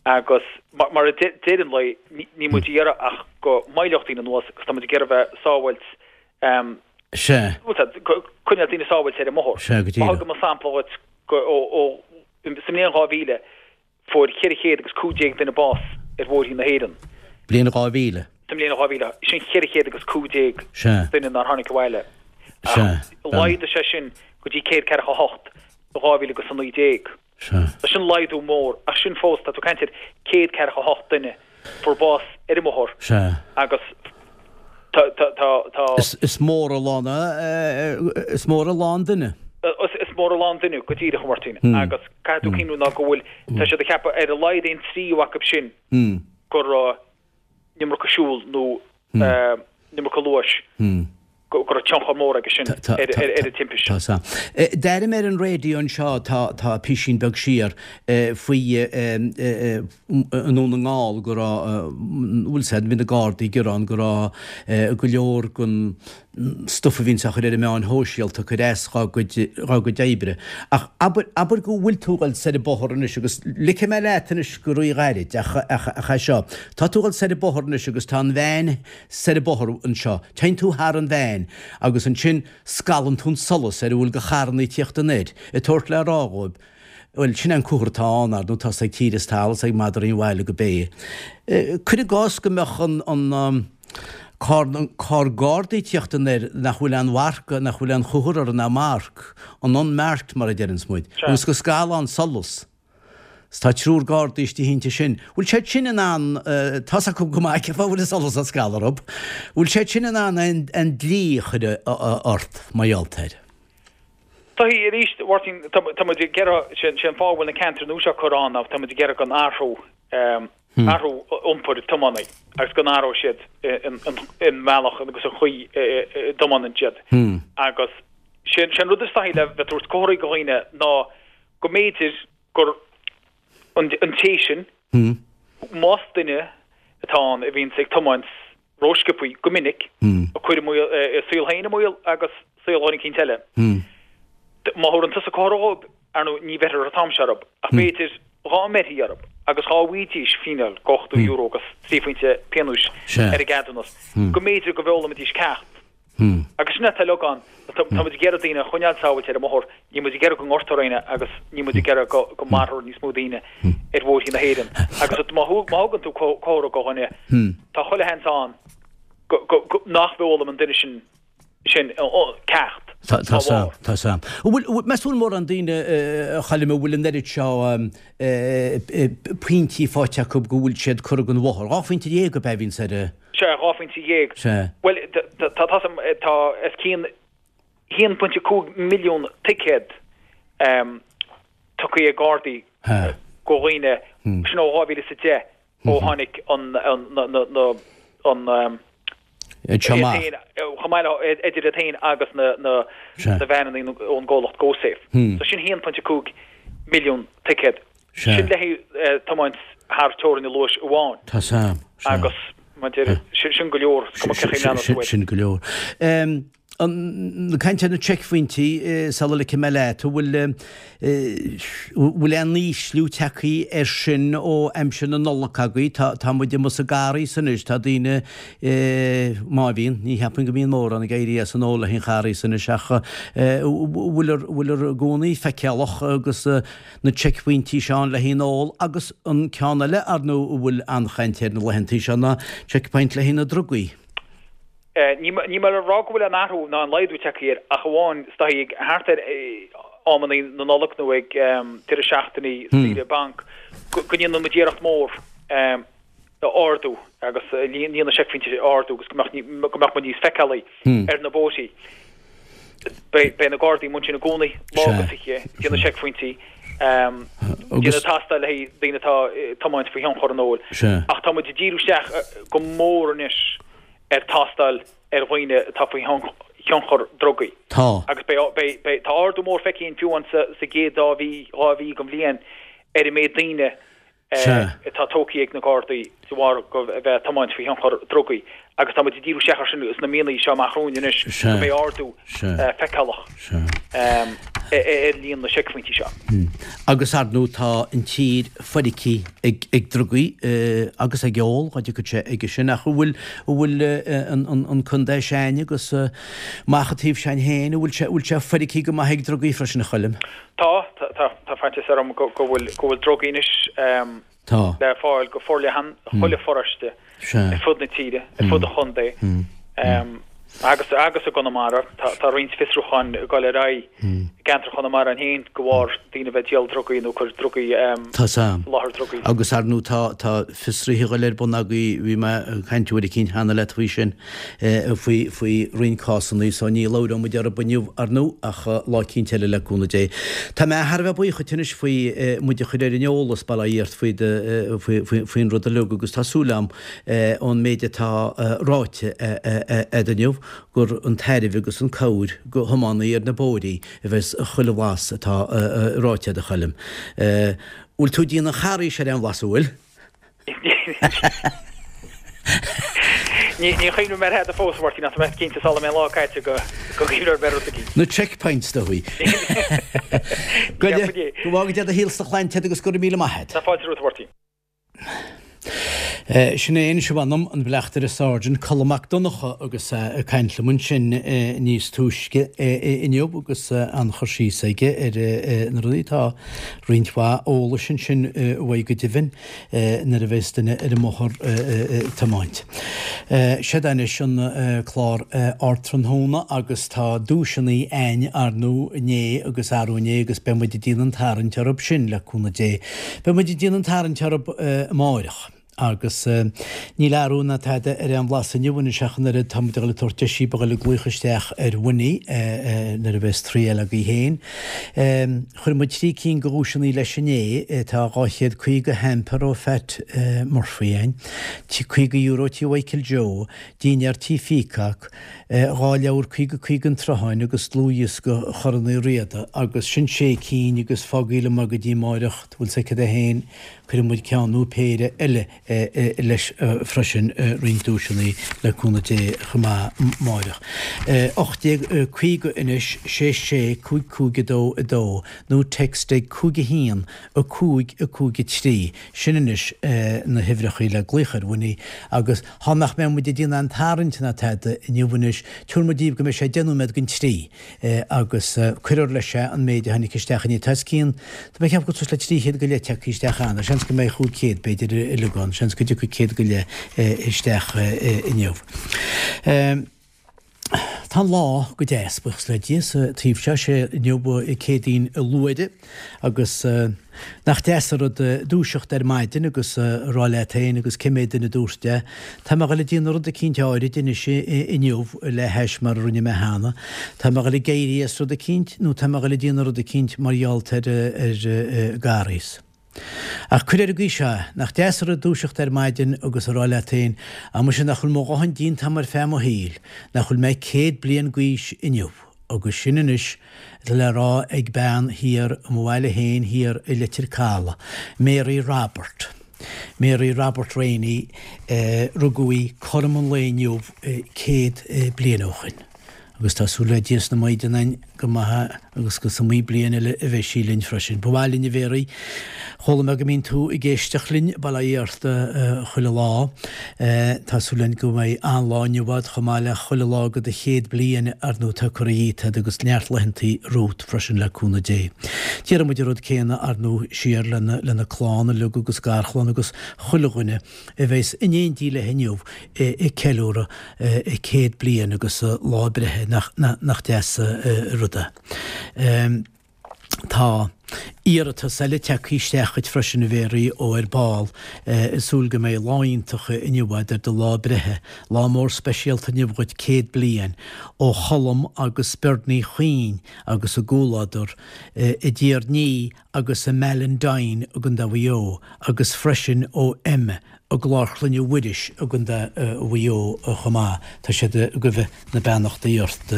S1: agus mar a deir an lao níl muid ag iarraidh ach go moilleodh daoine anuas agus tá muid ag iarraidh bheith sábhailt
S2: Sea.
S1: coinneáil daoine sábhailte ar an mbóthar.
S2: Sea, go
S1: díreach. Má thugaim an sampla dhuit go ó ó sa mbliain 2000 Fuair 400 agus 15 duine bás ar bhóithrí na hÉireann.
S2: Bliain 2000.
S1: Sa mbliain 2000. Sin 400 agus 15
S2: Sea.
S1: duine nár tháinig abhaile.
S2: Sea.
S1: Ach laghdaigh sé sin go dtí 148 i 2000 agus 19.
S2: Sea.
S1: Sin laghdú mór, ach sin fós, tá tú ag caint ar 148 duine. Fuair bás ar an mbóthar
S2: Sea.
S1: agus tá, tá, tá, tá.
S2: Is, is mór a lán, is mór a lán duine.
S1: Is, is mór a lán duine, go díreach, a Mháirtín. Agus caithfidh tú cuimhniú ná go bhfuil, tá siad ag ceapadh ar a laghad aon tríú acu sin go raibh an iomarca siúil nó an iomarca luais. go raibh tionchar mór aige sin ar an timpiste.
S2: Tá san. D'airigh mé ar an raidió anseo tá tá písín beag siar faoi i nDún na nGall go raibh bhfuil said bhí na Gardaí ag gearán go raibh go leor den stuif a bhíonns á chur ar na meáin shóisialta ag cur as dhá gcuid dhá gcuid oibre. Ach abair abair go bhfuil tú ag dul soir an bóthar anois agus ligfidh mé leat anois go rí-ghairid ach ach ach é seo. Tá tú ag dul soir an bóthar anois agus tá an veain soir an bóthar anseo. Téann tú thar an veain agus ansin scalann tú an solas ar a bhfuil de charrannaí ag tíocht anoir, ag tabhairt le rá dhóibh, bhuel, sin é an comhartha atá ann, ar ndóigh, tá's ag tír is talamh is ag madraí an bhaile go b'é. Cuir i gcás go mbeadh an, an, carr, carr Gardaí ag tíocht anoir nach bhfuil aon mharc, nach bhfuil aon chomhartha orthu ná marc, an unmarked mar a deireanns muid, agus go scalfá an solas. 'S tá triúr Gardaí istigh inti sin. Bhfuil siad sin in ann, tá's acu go maith cén fáth a bhfuil an solas á scaladh orthu, bhfuil siad sin in ann an dlí a chur ort mar gheall air?
S1: Taithí, arís, a Mháirtín, tá muid ag iarraidh, sé an fáth a bhfuil na ceantair nua seo curtha ann ná tá muid ag iarraidh go n-athródh, athrú iompair tiománaí agus go n-athródh siad an bealach agus an chaoi a dtiomáineann siad. Agus sé an rud is taithí le bheith ag tabhairt comharthaí do dhaoine ná go mb'fhéidir gur an té sin, más duine atá ann a bhíonns ag tiomáint rósciobthaí go minic, ag cur a saol féin i mbaol agus saol dhuine eicínt eile, má thabharann tusa comhartha dhóibh, ar ndóigh, ní bheirthear an t-am seo orthu, ach b'fhéidir dhá mbeirthí orthu agus dhá bhfaighidís fíneáil de €80 agus 3 phointe pionóis ar a gceadúnas, go mb'fhéidir go bhfoghlaimidís ceacht. Agus sin atá uilig ann. Tá muid ag iarraidh daoine a choinneáil sábhailte ar an mbóthar, níl muid ag iarraidh go ngortófar éinne agus níl muid ag iarraidh go go marófar níos mó daoine ar bhóithrí na hÉireann. Agus má thugann tú comhartha do dhuine, tá chuile sheans ann go go go nach bhfoghlaim an duine sin sin ceacht
S2: dá bharr. Tá sam. Bhfuil, meas tú an mórán daoine a Choilm a bhfuil an oiread seo pointí faighte acu go bhfuil siad curtha den bhóthar? 12 phointe ab ea a bhíonns ar a.
S1: Sea, 12 phointe.
S2: Sea.
S1: Bhuel, tá, tá, tá os cionn 1.5 milliún ticéad tugtha ag Gardaí go dhaoine, sin ó 2010 ó tháinig an, an, na, an, chomh maith le, idir iad féin agus na, na, na veaineanna ón gcomhlacht GoSafe. So sin 1.5 milliún ticéad. Sin le haghaidh tiomáint thar teorainn an luais amháin.
S2: Tá sam,
S1: sea. Agus, mar a deir, sin go leor, is cuma cén chaoi a leanann tú air.
S2: Sin go leor. Ag caint ar na seicphointí, sula ligfidh mé leat, an bhfuil, bhfuil aon ísliú tagtha air sin ó aimsir na Nollag agaibh? Tá, tá muid amuigh sa gCarghas anois, tá daoine, má bhíonn, ní cheapaim go mbíonn mórán ag éirí as an ól le haghaidh an Charghais anois ach bhfuil, bhfuil i gcónaí feiceálach agus na seicphointí seo ann le haghaidh an ól agus an ceann eile ar ndóigh a bhfuil an-chaint air na laethantaí seo ná checkpoint le haghaidh na drugaí.
S1: Níl mé le rá go bhfuil aon athrú ná aon laghdú tagtha air ach amháin is dóichí ag thart ar amannaí na Nollag nó ag deireadh seachtainí saoire banc go ndéanann muid iarracht mhór a ardú agus líon na seicphointí a ardú agus go mbeadh go mbeadh muid níos feiceálaí ar na bóithrí. Beidh beidh na Gardaí amuigh ansin i gcónaí, lá agus oíche, ag déanamh seicphointí, déanamh tástáil le haghaidh daoine atá ag tiomáint faoi thionchar an óil. Ach tá muid ag díriú isteach go mór anois ar tástáil ar dhaoine atá faoi thionchar drugaí.
S2: Tá.
S1: Agus beidh beidh beidh tá ardú mór feicthe againn fiú amháin sa sa gcéad dá mhí 2 mhí den bhliain ar an méid daoine atá tógtha ag na Gardaí de bharr go bheith ag tiomáint faoi thionchar drugaí. Agus tá muid ag díriú isteach air sin sna míonna seo amach romhainn anois go mbeidh ardú feiceálach ar líon na seicphointí seo.
S2: Agus ar ndóigh tá an tír foirgthe ag drugaí agus ag ól, dá dtiocfadh sé aige sin, ach an bhfuil, an bhfuil an contae s'againne agus amach an taobh sin féin, an bhfuil sé, an bhfuil sé foirgthe go maith ag drugaí freisin, a Choilm?
S1: Tá, tá faitíos orm go bhfuil, go bhfuil drugaí anois.
S2: Tá.
S1: le fáil go forleathan i chuile pharóiste ar fud na tíre, ar fud an chontae agus agus i gConamara. Tá roinnt fiosrúcháin ag dul ar aghaidh i gceantar Chonamara féin de bharr daoine a bheith ag díol drugaí nó ag cur drugaí
S2: Tá sam.
S1: láthair drugaí.
S2: Agus ar ndóigh tá tá fiosruithe ag dul ar bun agaibh, bhí mé ag caint uair eicínt cheana leat faoi sin. faoi faoi roinnt cásanna so ní labhróidh muid orthu inniu ar ndóigh ach lá eicínt eile le cúnamh Dé. Tá mé thar a bheith buíoch dhuit anois faoi muid a chur ar an eolas bail ó Dhia ort faoi do faoi faoi faoin rud uilig agus tá súil agam ón méid atá ráite a'd inniu gur an tairbhe agus an cabhair go thiománaí ar na bóithrí a bheas chuile bhlas atá ráite a'd a Choilm. Bhfuil tú ag déanamh an charraís ar aon bhlas an bhfuil?
S1: Ní chuimhním ar thada fós, a Mháirtín, ach tá mé cinnte sula mbeidh an lá caite go gcuimhneoidh mé ar rud
S2: éigin. Na checkpoints do bhí. Go bhfága Dia do shaol 's do shláinte agus go raibh míle maith agat.
S1: Tá fáilte romhat, a Mháirtín.
S2: Sin é anois, m'anam, an Bleachtaire Sergeant Colm Mac Donncha agus é ag caint liom ansin níos túisce inniu agus an-chur síos aige ar na rudaí atá roinnt mhaith eolais ansin uaidh go deimhin nuair a bheas duine ar an mbóthar ag tiomáint. Seod é anois an clár Ardtráthnóna agus tá duaiseanna a'ainn ar ndóigh inné agus arú inné agus beidh muid ag déanamh an tarraingt orthub sin le cúnamh Dé. Beidh muid ag déanamh an tarraingt orthub amáireach. Agus níl athrú ná tada ar aon bhlas inniu anois ach an oiread, tá muid ag dul ag tabhairt deis daoibh a dhul ag glaoch isteach ar Winnie nuair a bheas triail agaibh féin. Chuir muid 3 cinn de dhuaiseanna leis inné, tá 250 hamper ó Phat Murphy a'ainn, €50 tí Mhichael Joe, dinnéar tí Pheacock, dhá leabhar 50 50 an tSrutháin agus dlúthdhiosca Chorn Uí Riada agus sin sé cinn agus fágaigí liom é go dtí amáireach, bhfuil 's agat féin. Cuirfidh muid ceann nó péire eile leis freisin, roinnt duaiseanna le cúnamh Dé chomh maith amáireach. 1850 anois, 6 6 5 5 2 2, nó text ag 5 1 5 5 3, sin anois na huimhreacha le glaoch ar Winnie agus thá nach mbeidh muid ag déanamh aon tarraingt ná tada inniu anois, tabharfaidh muid daoibh go mbeidh sé 10 nóiméad don trí. agus cuirfear leis an méid a tháinig isteach inné. Tá os cionn, tá mé ag ceapadh go suas le 300 go leith tagtha isteach cheana, seans go mbeidh 500 b'fhéidir uilig ann, seans go dtiocfaidh 100 go leith isteach inniu. Tá an lá go deas, buíochas le Dia, sa taobh seo, sé inniu Céadaoin Luaithre agus Nach deas an rud dúiseacht ar maidin agus a rá leat féin agus cé mhéad duine a dúirt é, tá mé a dhul ag déanamh rud eicínt áirid anois inniu le hais mar a rinne mé cheana, tá mé a dhul ag éirí as rud eicínt nó tá mé a dhul ag déanamh rud eicínt mar gheall ar ar Garrays. Ach cuir ar an gcaoi seo é, nach deas an rud dúiseacht ar maidin agus a rá leat féin, á muise nach bhfuil mo dhóthain déanta agam ar feadh mo shaoil, nach bhfuil mé 100 bliain d'aois inniu. Agus sin anois atá le rá ag bean thiar i mo bhaile féin thiar i Leitir Caladh, Mary Robert. Mary Robert Rainey, rugadh í cothrom an lae inniu 100 bliain ó shoin. Agus tá súil le Dia is na Maighdean againn go maith agus go is iomaí bliain eile a bheidh sí linn freisin. Ba mhaith linn a Mhéaraí. Chuala mé go mbíonn tú ag éisteacht linn, bail ó Dhia ort, chuile lá. Tá súil againn go mbeidh an-lá inniu agat chomh maith le chuile lá de do chéad bliain ar ndóigh atá curtha dhíot agat agus neart laethantaí romhat freisin le cúnamh Dé. Déarfaidh muid an rud céanna ar ndóigh siar lena clann uilig agus garchlann agus chuile dhuine a bheas in éindí léi inniu ag ceiliúradh a céad bliain agus a lá breithe, nach deas an rud é. Tá iarratas eile tagtha isteach chuit freisin a Mhéaraí ó ar ball, ag súil go mbeidh lá iontach inniu agat ar do lá breithe. Lá mór speisialta inniu dhuit 100 bliain ó Cholm agus Bernie Chuinn agus a gcomhluadar i dTír Ní agus i Mallindine i gContae Mhaigh Eo agus freisin ó Emma i gClár Chlainne Mhuiris i gContae Mhaigh Eo chomh maith. Tá siad ag gabháil na beannachtaí ort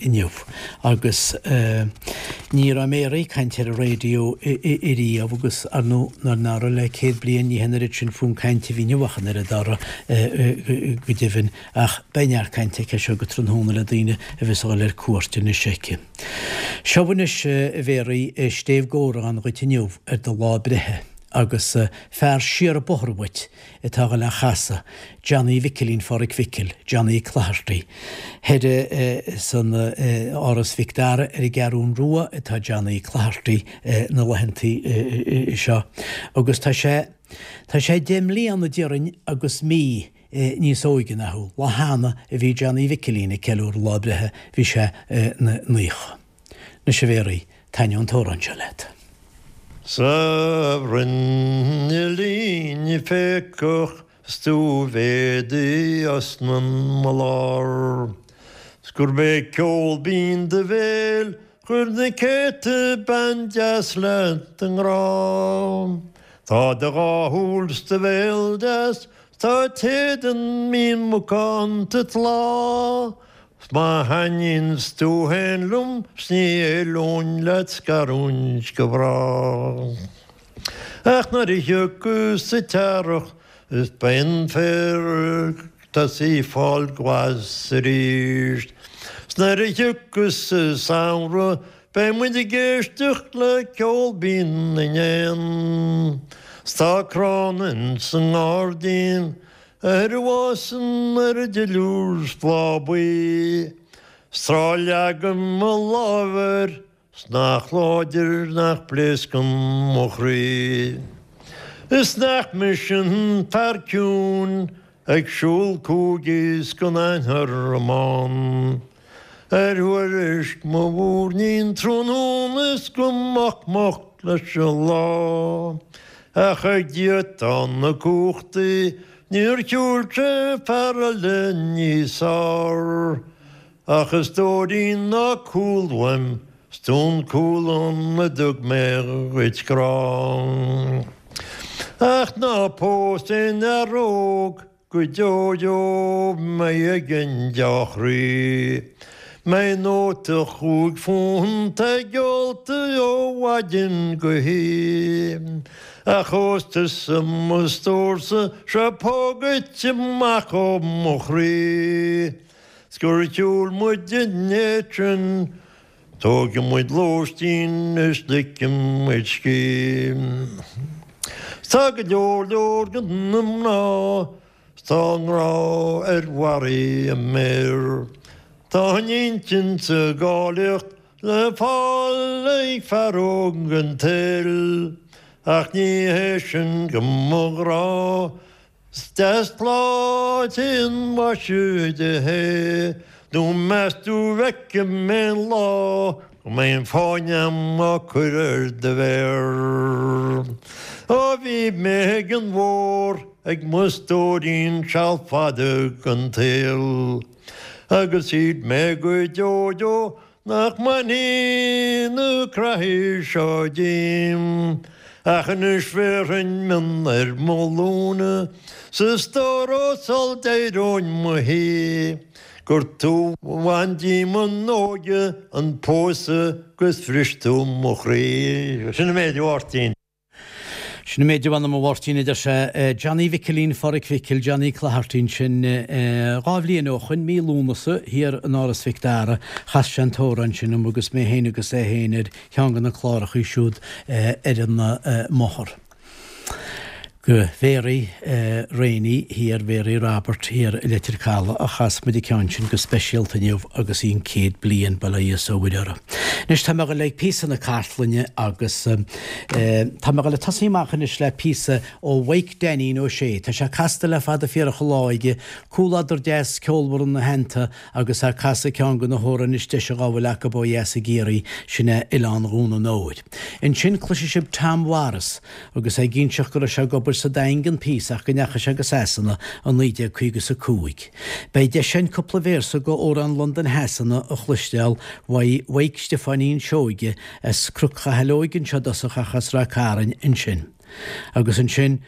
S2: inniu. Agus ní raibh Mary ag caint ar an. an raidió ariamh agus, ar ndóigh, i ndáiríre le 100 bliain ní hin an oiread sin fonn cainte a bhí inniu ach an oiread orthu go deimhin ach beidh neart cainte aici as seo go tráthnóna le daoine a bheas a dhul ar cuairt anois aici. Seo anois, a Mhéaraí, stéibh d'amhrán dhuit inniu ar do lá breithe agus fear siar an bóthar uait atá a dhul á chasadh, Johnny Mhicilín Pháraic Mhicil, Johnny Clogherty. Thoir san Áras Mhic Dara ar an gCeathrún Rua atá Johnny Clogherty na laethantaí seo agus tá sé, tá sé 10 mbliana déarfainn agus mí níos óige ná thú. Lá cheana a bhí Johnny Mhicilín ag ceiliúradh lá breithe, bhí sé 'na naocha. Anois a Mhéaraí, taitneoidh an t-amhrán seo leat.
S3: Sa bhruinnillín phéacach 's tú mhéadaigh osna mo lár 's gurb é ceol binn do bhéil chuir na céadta bean deas leat i ngrá. Tá do dhá shúil 's do bhéal deas 's tá t'éadan mín macánta tláth 'S má thaitníonns tú fhéin liom 's ní éalóinn leat scarúint go bráth. Ach nuair a thiocfas an t-earrach is beidh an féar ag tosaí fáil glas arís. 'S nuair a thiocfas an samhradh beidh muid ag éisteacht le ceol binn na n-éan. 'S tá crann ins an ngairdín Ar a bhfásann ar duilliúr 's bláth buí, 's tráth a leagaim mo lámh air 's nach láidir nach bpléascann mo chroí. Is nach mise an fear ciúin ag siúl chuici 's gan aon thormán. Ar thuairisc mo mhúirnín tráthnóna is go moch moch leis an lá. Ach ag Dia atá na cumhachtaí, níor shiúil sé fear eile níos fearr. Ach a stóirín ná cúl uaim, 's tú an cúl a dtug mé dhuit grá. Ach ná pós aon fhear óg Go deo deo mbeidh ag an deá-chroí. Mbeidh nóta chúig phunt ag ólta ó mhaidin go hoíche. Ach ós tusa mo stórsa seo póg duit amach ó mo chroí. 'S gur shiúil muid an méid sin Tógfaidh muid lóistín is ligfidh muid scíth. 'S tá go leor leor de na mná 's tá a ngrá ar bharraí a méar. Tá an intinn 's an áilleacht le fáil ag fear óg an tsaoil ach ní hé sin go mo ghrá 'S deas tláith an mhaise di é, nó meas tú bhfeicfidh mé an lá go mbeidh an fáinne a'm á cur ar do mhéar. Ó bhí mé ag an bhfómhar ag mo stóirín seal fada den tsaol, agus shíl mé go deo deo Nach mbainfidh na creathaí seo díom Ach anois bhéarfainn mionn ar mo ghlúine 'S a stór ó sul d'éireoinn mo shuí Gur tú bhain díom an óige an pósadh 'gus bhris tú mo chroí. Sin an méid a Mháirtín.
S2: Sin an méid a mh'anam a Mháirtín, a deir sé. Johnny Mhicilín Pháraic Mhicil, Johnny Clogherty ansin 2 bhliain ó shoin, mí Lúnasa, thiar in Áras Mhic Dara, chas sé an t-amhrán sin dom agus mé féin agus é féin ar cheann de na clárachaí siúd ar an mbóthar. Go Mhéaraí Rainey thiar, Mhéaraí Robert thiar i Leitir Caladh a chas muid an ceann sin go speisialta inniu agus í an 100 bliain, bail ó Dhia is ó Mhuire orthu. Anois tá mé ag dul le píosa na cartlainne agus tá mé ag dul ag tosaí amach anois le píosa ó Mhaidhc Dainín Ó Sé. Tá sé casta le fada fíorach an lá aige, comhluadar deas ceolmhar ina theannta agus é ag casadh ceann de na hamhráin is deise dhá bhfuil acu ó dheas i gCiarraí, sin é Oileán Dhún an Óir. Ansin cloisfidh sibh Tom Mhaurice agus é ag inseacht go raibh sé ag obair sa Daingean píosa ach go ndeachaigh sé go Sasana i 1955. Beidh deis againn cúpla véarsa go amhrán Londain Shasana a chloisteáil uaidh Mhaidhc Stiofáinín Seoige as Cnoc Chathail Óig anseo i dtosach ach as Rath Cairn ansin. Agus ansin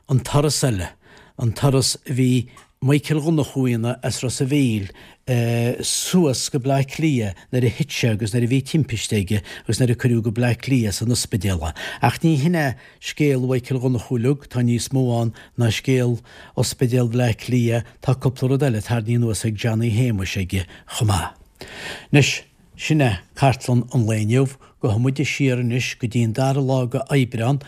S2: an turas eile, an turas a bhí. Michael Dhonnchú as Ros a' Mhíl suas go Bleá Cliath nuair a thit sé agus nuair a bhí timpiste aige agus nuair a cuireadh go Bleá Cliath san ospidéal é. Ach ní hin é scéal Mhichael Dhonnchú uilig, tá níos mó ann ná scéal Ospidéal Bhleá Cliath, tá cúpla rud eile tarraingthe anuas ag Johnny Shéamuis aige chomh maith. Anois. Sin é cartlann an lae inniu. Gabhfaidh muide siar anois go dtí an dara lá de Aibreán.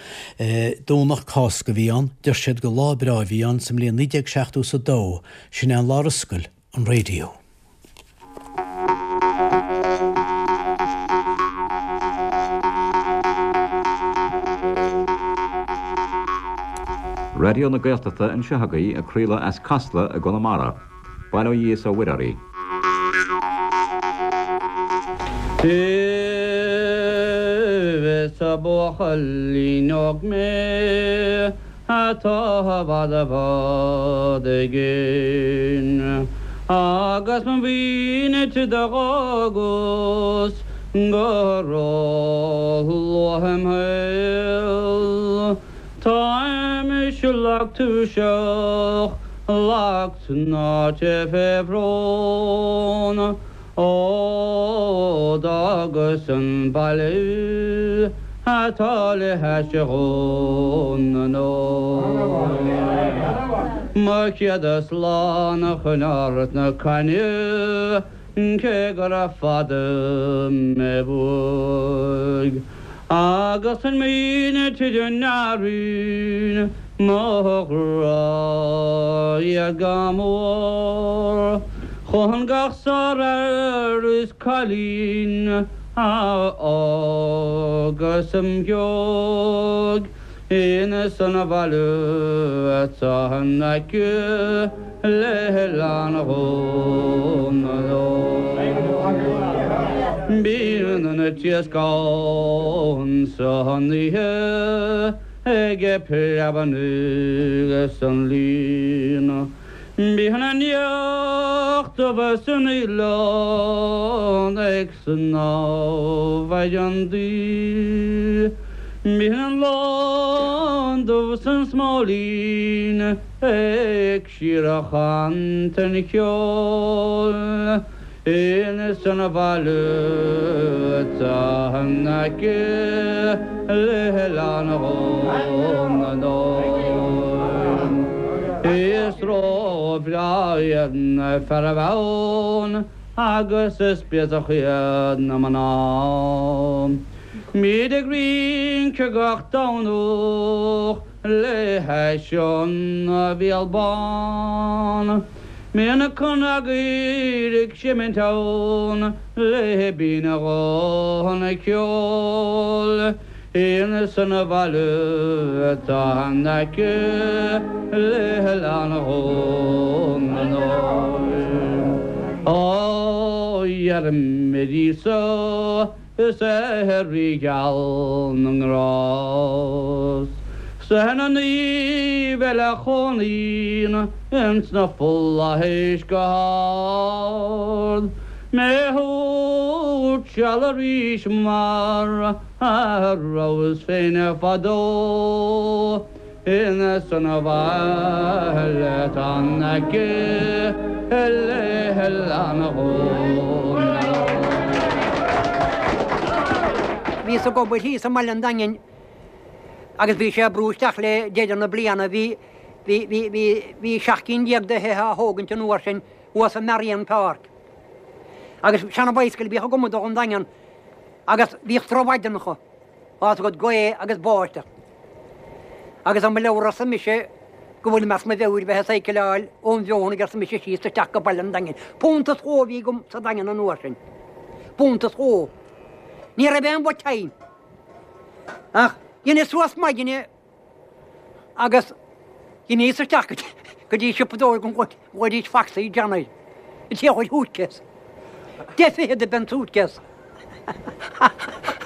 S2: Domhnach Cásca a bhí ann. Deir siad gur lá breá a bhí ann sa mbliain 1970 is a dó. Sin é an lá ar oscail an raidió.
S4: Raidió na Gaeltachta anseo agaibh ag craoladh as Casla i gConamara. Bail ó Dhia is ó Mhuire oraibh.
S5: Is buachaillín óg mé atá i bhfad i bhfad i gcéin agus mo mhuintir do dh'fhágas go ró-luath im shaol. Táim lag tuirseach, lag tnáite fé bhrón, Ó d'fhágas an baile atá le hais Dhún na nÓr. Mo chéad slán a choinneáil sna cainne, Cé gur fada mé uaidh agus an mhuintir a n-airíonn mo ghrá iad go mór, chun gach sárfhear is cailín a fhágas im dhiaidh. Ins an bhaile atá in aice le hOileán Dhún na nÓr. Bíonn an t-iasc ann san oíche ag preabarnaigh san líon. Bíonn an each dubh san oileán ag snámh ar an dtaoi. Bíonn an lon dubh san smóilín ag síorchantain cheoil. Ins an bhaile atá in aice le hOileán Dhún na nÓr. Is ró-bhreá iad na fearaibh ann agus is béasach iad na mná. Bíd ag rince gach Domhnach le hais an Bhéal Bán. Bíonn na cnagaoil ag seimint ann le binn a ghuthanna ceoil. Ins an bhaile atá in aice le hOileán Dhún na nÓr. Ó iarraim ar Íosa Is é Rí geal na nGrást 's ar na naoimh eile a chónaíonn ins na flaithis go hard mé a thabhairt seal arís mar a rabhas féin fadó. Ins an bhaile atá in aice le hOileán Dhún na nÓr.
S6: Bhíos ag obair thíos i mBaile an Daingin agus bhí sé ag brú isteach le deireadh na bliana. Bhí, bhí, bhí, bhí, bhí 17 cinn de thithe á thógaint an uair sin thuas i Marion Park. Agus seana bicycle a bhíodh agam ag dul ón Daingean agus bhíodh drochmhaidineacha. Tá fhios agat, gaoth agus báisteach. Agus ó mo leabhar arsa mise go bhfuilim as mo mheabhair bheith ag cycleáil ón Bhfeothanaigh arsa mise síos isteach go Baile an Daingin. Punt is dhó a bhí agam sa Daingean an uair sin. Punt is dhó. Ní raibh aon mhaith agam. Ach dheineas suas maidine Agus dheineas isteach go dtí siopadóir go bhfaighidís facsaí Johnny, an té a chuir suitcase. 10 fichead a b'é an suitcase.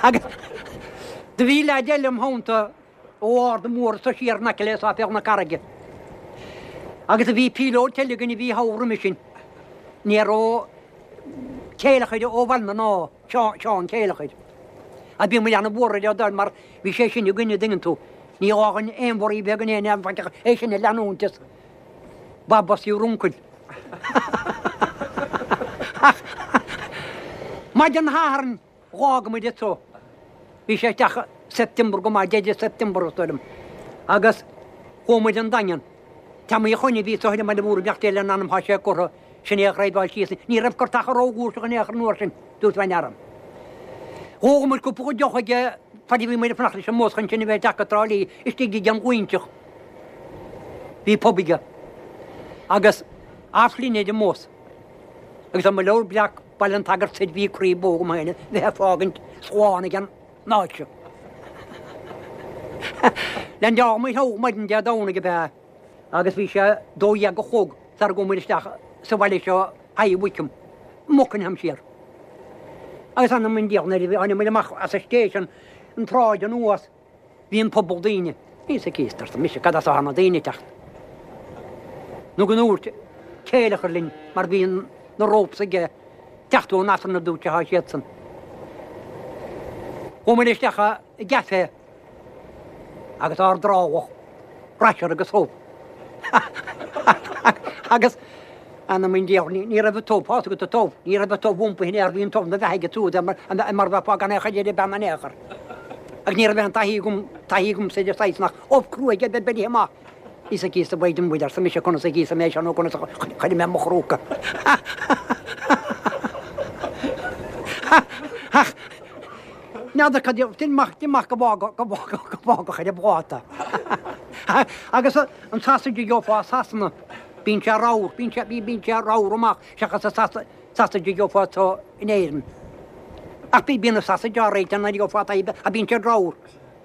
S6: Agus do bhí leaid eile im theannta ó Ard an Mhór anso siar in aice le Sáipéal na Carraige. Agus do bhí píolóid eile againn a bhí thall roimhe sin. Ní raibh Céileachair ó Bhaile na nÁ. Seán Céileachair. Ach bhí muid ana-bhuartha ar dóibh mar bhí sé sin againn a dtuigeann tú. Ní gá dhuinn aon bhorraí bheag in aon fhaic ach é sin a leanúint is. Baba's your uncle. Ach maidin Shathairn dh'fhág muid anso. Bhí sé isteach September go maith, deireadh September is dóigh liom. Agus chuaigh muid an Daingean. Teamaí a Choinn a bhí anso ar an mBaile Mhór i mbeacht lena anam thá sé curtha, sin é a dhraibheáil síos. Ní raibh gortacha rófhlúirseach in aon chor an uair sin, dúirt bhean Dh'ól muid cúpla deoch aige fad a bhí muid ag fanacht leis an mbus chun sinn a bheith isteach go Trá Lí istigh ag an Ghluinteach. Bhí pub aige. Agus half linn ar an mbus. Agus ar mo leabhar breac Baile an tSagairt soir bhí croí bó agam féin a bheith ag fágaint slán ag an áit seo. Leaindeáil muid thogh maidin Dé Domhnaigh ab ea agus bhí sé 12 a chlog sara gcuaigh muid isteach sa bhaile seo High Wycombe, Buckingham siar. Agus anam an diabhail nuair a tháinig muid amach as an station, an tsráid anuas, Bhí an puball daoine. Íosa Críost, arsa mise, cad as atá na daoine ag teacht? Nó go ndúirt céileachar linn mar bhí na ropes aige teacht ón Aifreann a dúirt sé thá siadsan. Chuaigh muid isteach i gcafé agus ár dtrámhadh, rasher agus ubh. Agus anam an diabhail, ní raibh an t-ubh, thá 'fhios agat an t-ubh, ní raibh an t-ubh iompaithe in aer, bhí an t-ubh 'na bheathaigh ansiúd mar bheifeá gan aon chuid ar an bpeann in aon chor. Agus ní raibh aon taithí agam, taithí agamsa ar an saghas nach ubh cruaidh a bheith beirthe amach. Íosa Críost a mhaighdean Mhuire, arsa mise, conas a íosfaidh mé seo nó conas a chuirfidh mé mo chrúca. Ach n'fheadar cad é, déan amach go bhfágfadh, go bhfágfadh, go bhfágfadh ar an bpláta. Agus an sausage a gheofá i Sasana, bíonn sé ramhar, bíonn sé, bíonn sé ramhar amach seachas an sausage a gheofá anseo in Éirinn. Ach bíonn an sausage á réiteach nuair a gheofá taobh, ach bíonn siad ramhar,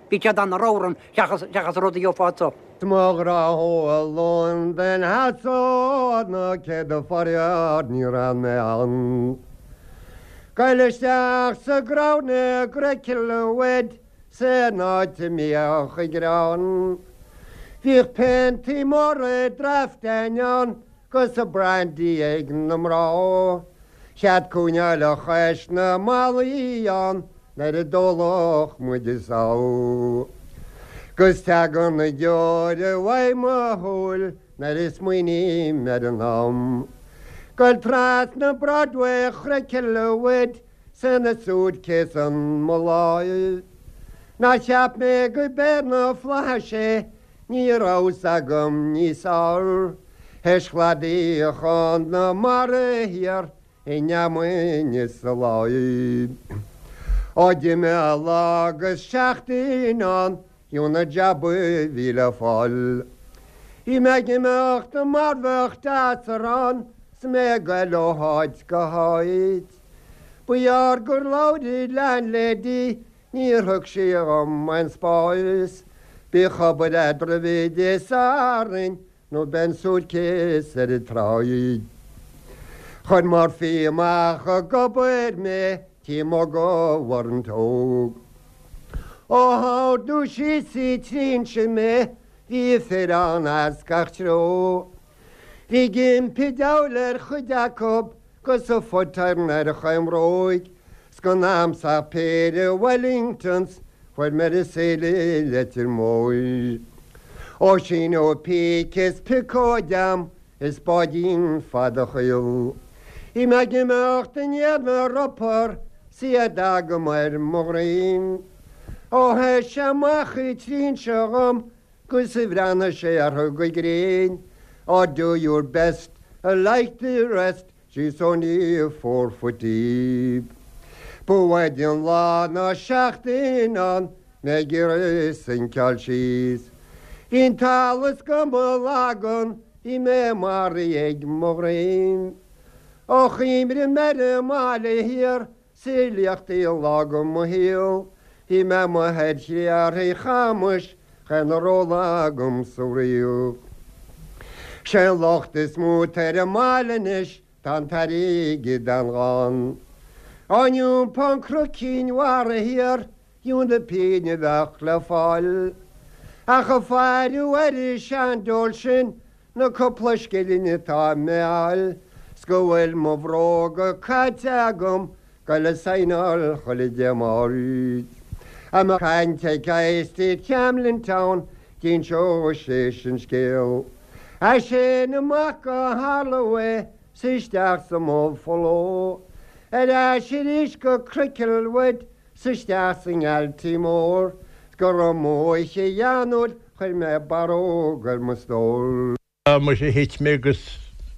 S6: bíonn siad ana-ramhar ann seachas, seachas an rud a gheofá anseo.
S7: 'S mo ghrá ó Londain Theas ó na céadta faraor ní raibh mé ann. Goil isteach sa gCrown i gCricklewood san áit a mbíodh an greann. Bhíodh piontaí móra draftain ann 'gus a brandy ag na mná. Chead cúinneáil chois na mballaí ann nuair a d'óladh muid is ádh. 'Gus tagann na deora uaidh mo shúil nuair a smaoiním ar an am. Goil trasna Broadway Chricklewood 's ina suitcase in mo láimh. Nár cheap mé go b'é na flaithis é, ní raibh 's agam níos fearr. Théis chladaí Chonamara thiar i nGearmáin is sa láí. Ó d'imigh lá agus seachtain ann fiú na jabaí bhí le fáil. Bhí mé ag imeacht mar bheadh teasar ann 's mé ag goil ó háit go háit. Ba ghearr gur labhair landlady níor thug sí dhom aon spáis. Bíodh obair eadraibh Dé Sathairn nó beidh an suitcase ar an tsráid. Chuir Murphy amach ag obair mé tí muga Warrant Óg. Ó hardú síos sa trinse mé bhí fir ann as gach treo. Bhí ag impí diabhail ar chuid acub 'gus a foot-iron ar chaon bhróig 's gan a'msa ach péire Wellingtons fuair mé ar an saol i Leitir Móir. Ó síneadh píce is piocóid a'm is báidín fada chaol. Bhí mé ag imeacht i ndiaidh na ropair 's iad agam ar mo dhroim. Ó sheas sé amach an trinse dhom 'gus a bhreathnaigh sé orthu go grinn, Oh do your best like the rest, she's only four foot deep. Ba bhfaide an lá ná seachtain ann mé ag iarraidh sinceáil síos. Bhí an t-allas go mo lagan, bhí mé maraithe ag mo dhroim. Ó chuimhnigh mé ar an mbaile thiar 's a liachtaí an lá go mo shaol, bhí mé amuigh ar chré árthaigh chamais chaon a raibh lá agam sa bhfraoch. Sé an locht is mó atá ar an mbaile anois, tá an t-airgead an-ghann. Á n-iompó an Cnoc Cinn Mhara thiar, fiú na pingin a bheadh le fáil. Ach a faire ar an seandiabhal sin, Na cúpla scilling atá mé a fháil 's go bhfuil mo bhróga caite agam goil a saighneáil chuile Dé Máirt. A mbeadh caint ag High Street Camden Town d'inseodh sé sin scéal. As sin amach go Holloway 's isteach sa mBuffalo. Ar ais arís go Cricklewood 's isteach sa nGaltí Mór. 'S go raibh m'óiche gheanúil chuir mé barróg ar mo stór.
S3: Muise thit mé agus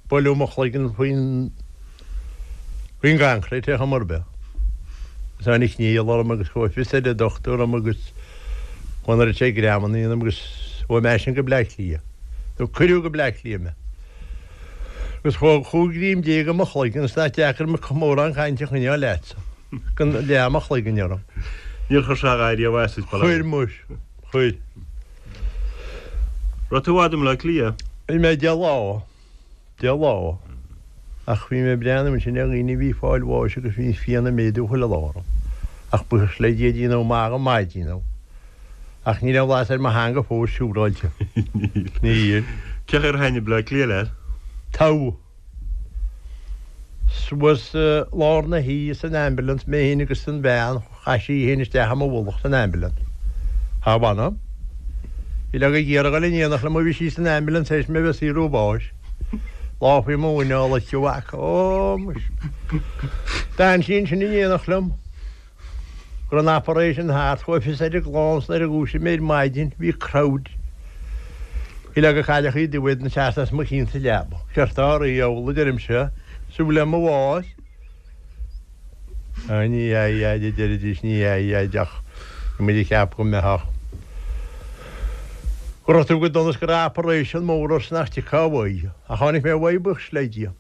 S3: buaileadh mo chloigeann faoin faoin gcoincréit ar chuma ar bith. Agus tháinig néal orm agus chuaigh fios ar an dochtúir orm agus chuaigh an oiread sin greamanna ionam agus chuaigh mé ansin go Bleá Cliath. Nó cuireadh go Bleá Cliath mé. Agus chuaigh chúig ghreim déag i mo chloigeann is nach deacair mórán cainte a choinneáil leatsa. Gan leath mo chloiginn orm.
S8: Níor chuir sé a dhath riamh as duit, bail ó
S3: Chuir muis. Chuir.
S8: Raibh tú i bhfad i mBleá Cliath?
S3: Bhí mé deich lá. Deich lá. Ach bhí mé ag breathnú ansin ar dhaoine a bhí ag fáil bháis agus bhí pian ag méadú chuile lá orm. Ach buíochas le Dia déanadh maith go maith díom. Ach ní raibh blas ar mo theanga fós siúráilte.
S8: Níl. Níl. Cén chaoi ar thaitnigh Bleá Cliath leat?
S3: Togha. Suas i lár na hoíche san ambulance, mé féin agus an bhean, chaith sí í féin isteach i mo mhullach san ambulance. Thá, mh'anam. Bhí le go iarraidh a dhul in éineacht liom ó bhí sí san ambulance théis mé bheith ag saothrú báis. Lámh faoi mo mhuineál aici, a mhac. Ó, muis. D'fhan sí ansin in éineacht liom. Go raibh an operation thart, chuaigh fios ar an gclann 's nuair a dhúisigh mé ar maidin bhí crowd uileag ag cailleachaí dubha ag teacht as mo chionn sa leaba. Céard tá oraibh, a dheabhail, a deirimse, súil le mo bhás? Á, ní hea, a dheaid, a deiridís, ní hea, a dheaid, ach bhí muid ag ceapadh go mbeifeá, go raibh tú go dona 's go raibh operation mór ort 's nach dtiocfá uaidh. Ach tháinig mé uaidh, buíochas le Dia.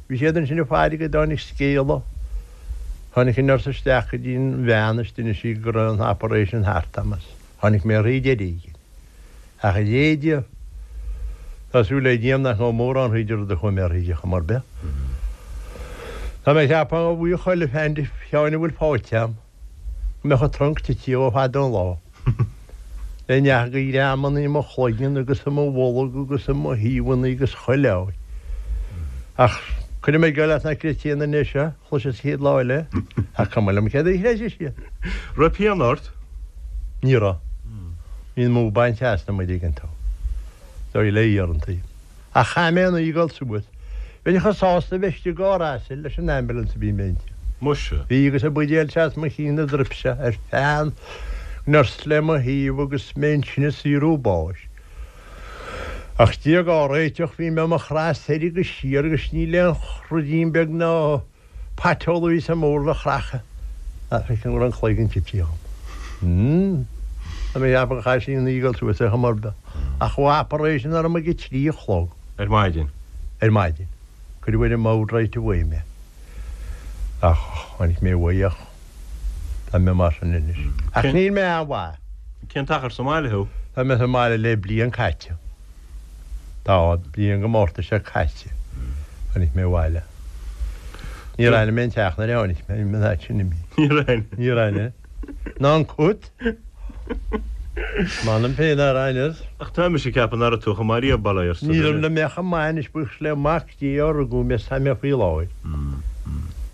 S3: Bhí siad ansin ag faire go dtáinig scéala. Tháinig an nurse isteach go dtí an bhean is d'inis sí go raibh an operation thart agam is tháinig mé thríd ar éigin. Ach a Léide, tá súil le Dia nach ngabhfaidh mórán thríd an rud a chuaigh mé thríd ar chuma ar bith. Tá mé ag ceapadh a bhuí chuile pheann de Sheáin a bhfuil faighte agam. Go mbeadh an trunc tite ó fada an lá. Le neach de ghreamanna i mo chloigeann agus i mo bholg agus i mo thaobhanna agus chuile áit. Ach cuirfidh mé geall leat nach gcreidfidh aon duine é seo, chloisfeas an chéad lá eile, ach cuma liom céard a chreidfidh siad.
S8: Raibh pian ort?
S3: Ní raibh. Bhí an mó bainte asam an dtuigeann tú. Dóigh le iarrantaí. Ach chaith mé an oíche ag dul suas. Bheinn chomh sásta a bheith istigh i gcarr asail leis an ambulance a bhí mé inti.
S8: Muise.
S3: Bhí agus an buidéal seas mo chinn ina druipse ar feadh an nurse le mo thaobh agus mé ansin ag saothrú báis. Ach Dia dhá réiteach bhí mé mo chraith soir agus siar agus níl aon ruidín beag ná Paiteol a bhí sa mbord a chracadh ach feicim go raibh an cloigeann tite agam. Tá mé ag ceapadh gur chaith sí an oíche ag dul suas ar chuma ar bith. Ach chuaigh operation orm ag a trí a chlog.
S8: Ar maidin?
S3: Ar maidin. Cuireadh ar an mbord right away mé. Ach tháinig mé uaidh ach tá mé mar sin anois. Ach níl mé an-mhaith.
S8: Cén t-achar sa mbaile thú?
S3: Tá mé sa mbaile le bliain caite. Tá, bliain go Márta seo caite tháinig mé abhaile. Níor aithin mé an teach nuair a tháinig mé, bhí mé an áit sin imithe.
S8: Níor aithin?
S3: Níor aithin. Ná an cut. M'anam féin nár aithneas.
S8: Ach tá mise ag ceapadh nach raibh tú chomh maith riamh, bail ó Dhia ort.
S3: Ní raibh le mé chomh maith anois buíochas le Mac Dé ó rugadh mé is tá mé faoi láthair.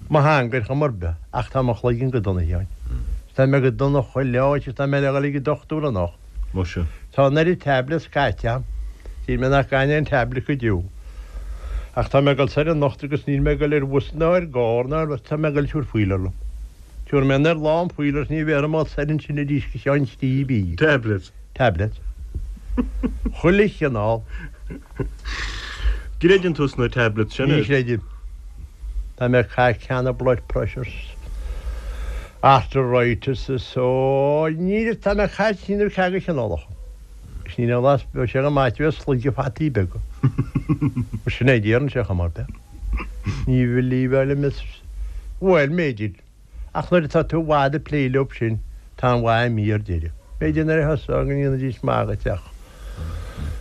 S3: Mo theanga ar chuma ar bith ach tá mo chloigeann go dona, a Sheáin. Tá mé go dona chuile áit is tá mé le dhul ag an dochtúir anocht.
S8: Muise.
S3: Tá an oiread tablets caite agam. Shíl mé nach gcaithfinn aon tablet go deo. Ach tá mé ag dul soir anocht agus níl mé ag dul ar bhus ná ar gcarr ná ar tá mé ag dul tabhair fuíoll liom. Tabharfaidh mé anoir lán fuíoll agus ní bhéarfaidh mé soir ansin arís go ceann trí mhí.
S8: Tablets.
S3: Tablets. Chuile chineál.
S8: Gcreideann tú sna tablets sin?
S3: Ní chreidim. Tá mé ag caitheamh ceanna blood pressures, arthritis is ó ní tá mé ag caitheamh trí nó ceathair de chineálacha. Agus níl aon bhlas bheadh sé go maith a bheith ag sloigeadh fataí beaga. Mar sin é déarann sé chomh maith. Ní bhelieve liom is bhuel m'fhéidir. Ach nuair atá tú i bhfad ag plé leob sin, tá an mhaith imithe ar deireadh. B'fhéidir nuair a thosófá go ndéanfaidís maith dhuit ach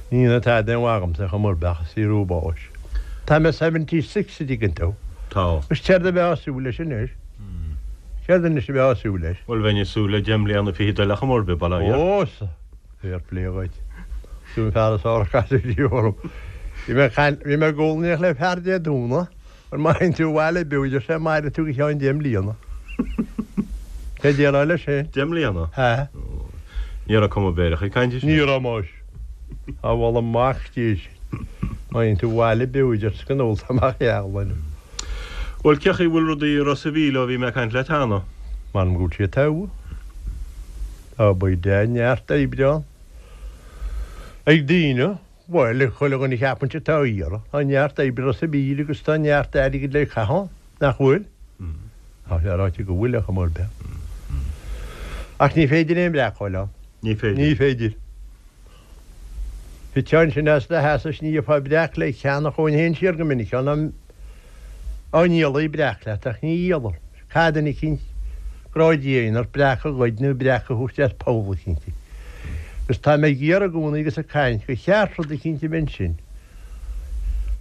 S3: ní dhéanfaidh tada aon mhaith dhomsa chomh mór beach is saothrú báis. Tá mé 76 a dtuigeann tú.
S8: Tá.
S3: Agus céard a bheifeá ag súil leis anois? Céard anois a bheifeá ag súil leis?
S8: Bhuel bheinn ag súil le deich mbliana fichead eile chomh mór bith, bail ó Dhia
S3: ort. Ó, sea. Fair play dhuit. Tú an fear is fearr a casadh riamh orm. Bhí mé ag caint, bhí mé ag ól in éineacht le fear Dé Domhnaigh. Bhuel, má théann tú abhaile beo, deir sé, mairfidh tú go ceann deich mbliana. Cé déarfá leis sin?
S8: Deich mbliana?
S3: Sea.
S8: Ní raibh cuma mheidhreach ag caint air sin.
S3: Ní raibh, muis. Á, bhuel, amach Dé sin. Má théann tú abhaile beo a deir go n-ólfá amach eagla.
S8: Bhuel, cé chaoi bhfuil rudaí i Ros a' Mhíl ó bhí mé ag caint leat cheana?
S3: M'anam go bhfuil siad togha. Tá beidh neart oibre ann ag daoine. Bhuel, ag chuile dhuine a cheapann sé atá á iarraidh. Tá neart oibre i Ros a' Mhíl agus tá neart airgid le caitheamh ann, nach bhfuil? Tá sé ráite go bhfuil, ar chuma ar bith. Ach ní féidir aon bhreac a fháil ann.
S8: Ní féidir.
S3: Ní féidir. Thiteá ansin as do sheasamh is ní gheofá breac le ceannach chuaigh féin siar go minic ann á ndíolfaí breac leat ach ní dhíoladh. Caithfidh duine eicínt grá Dé a dhéanamh ort breac a ghoid nó breac a thabhairt as poll eicínt. Agus tá mé ag iarraidh i gcónaí agus ag caint gur cheart rud eicínt a bheith ansin.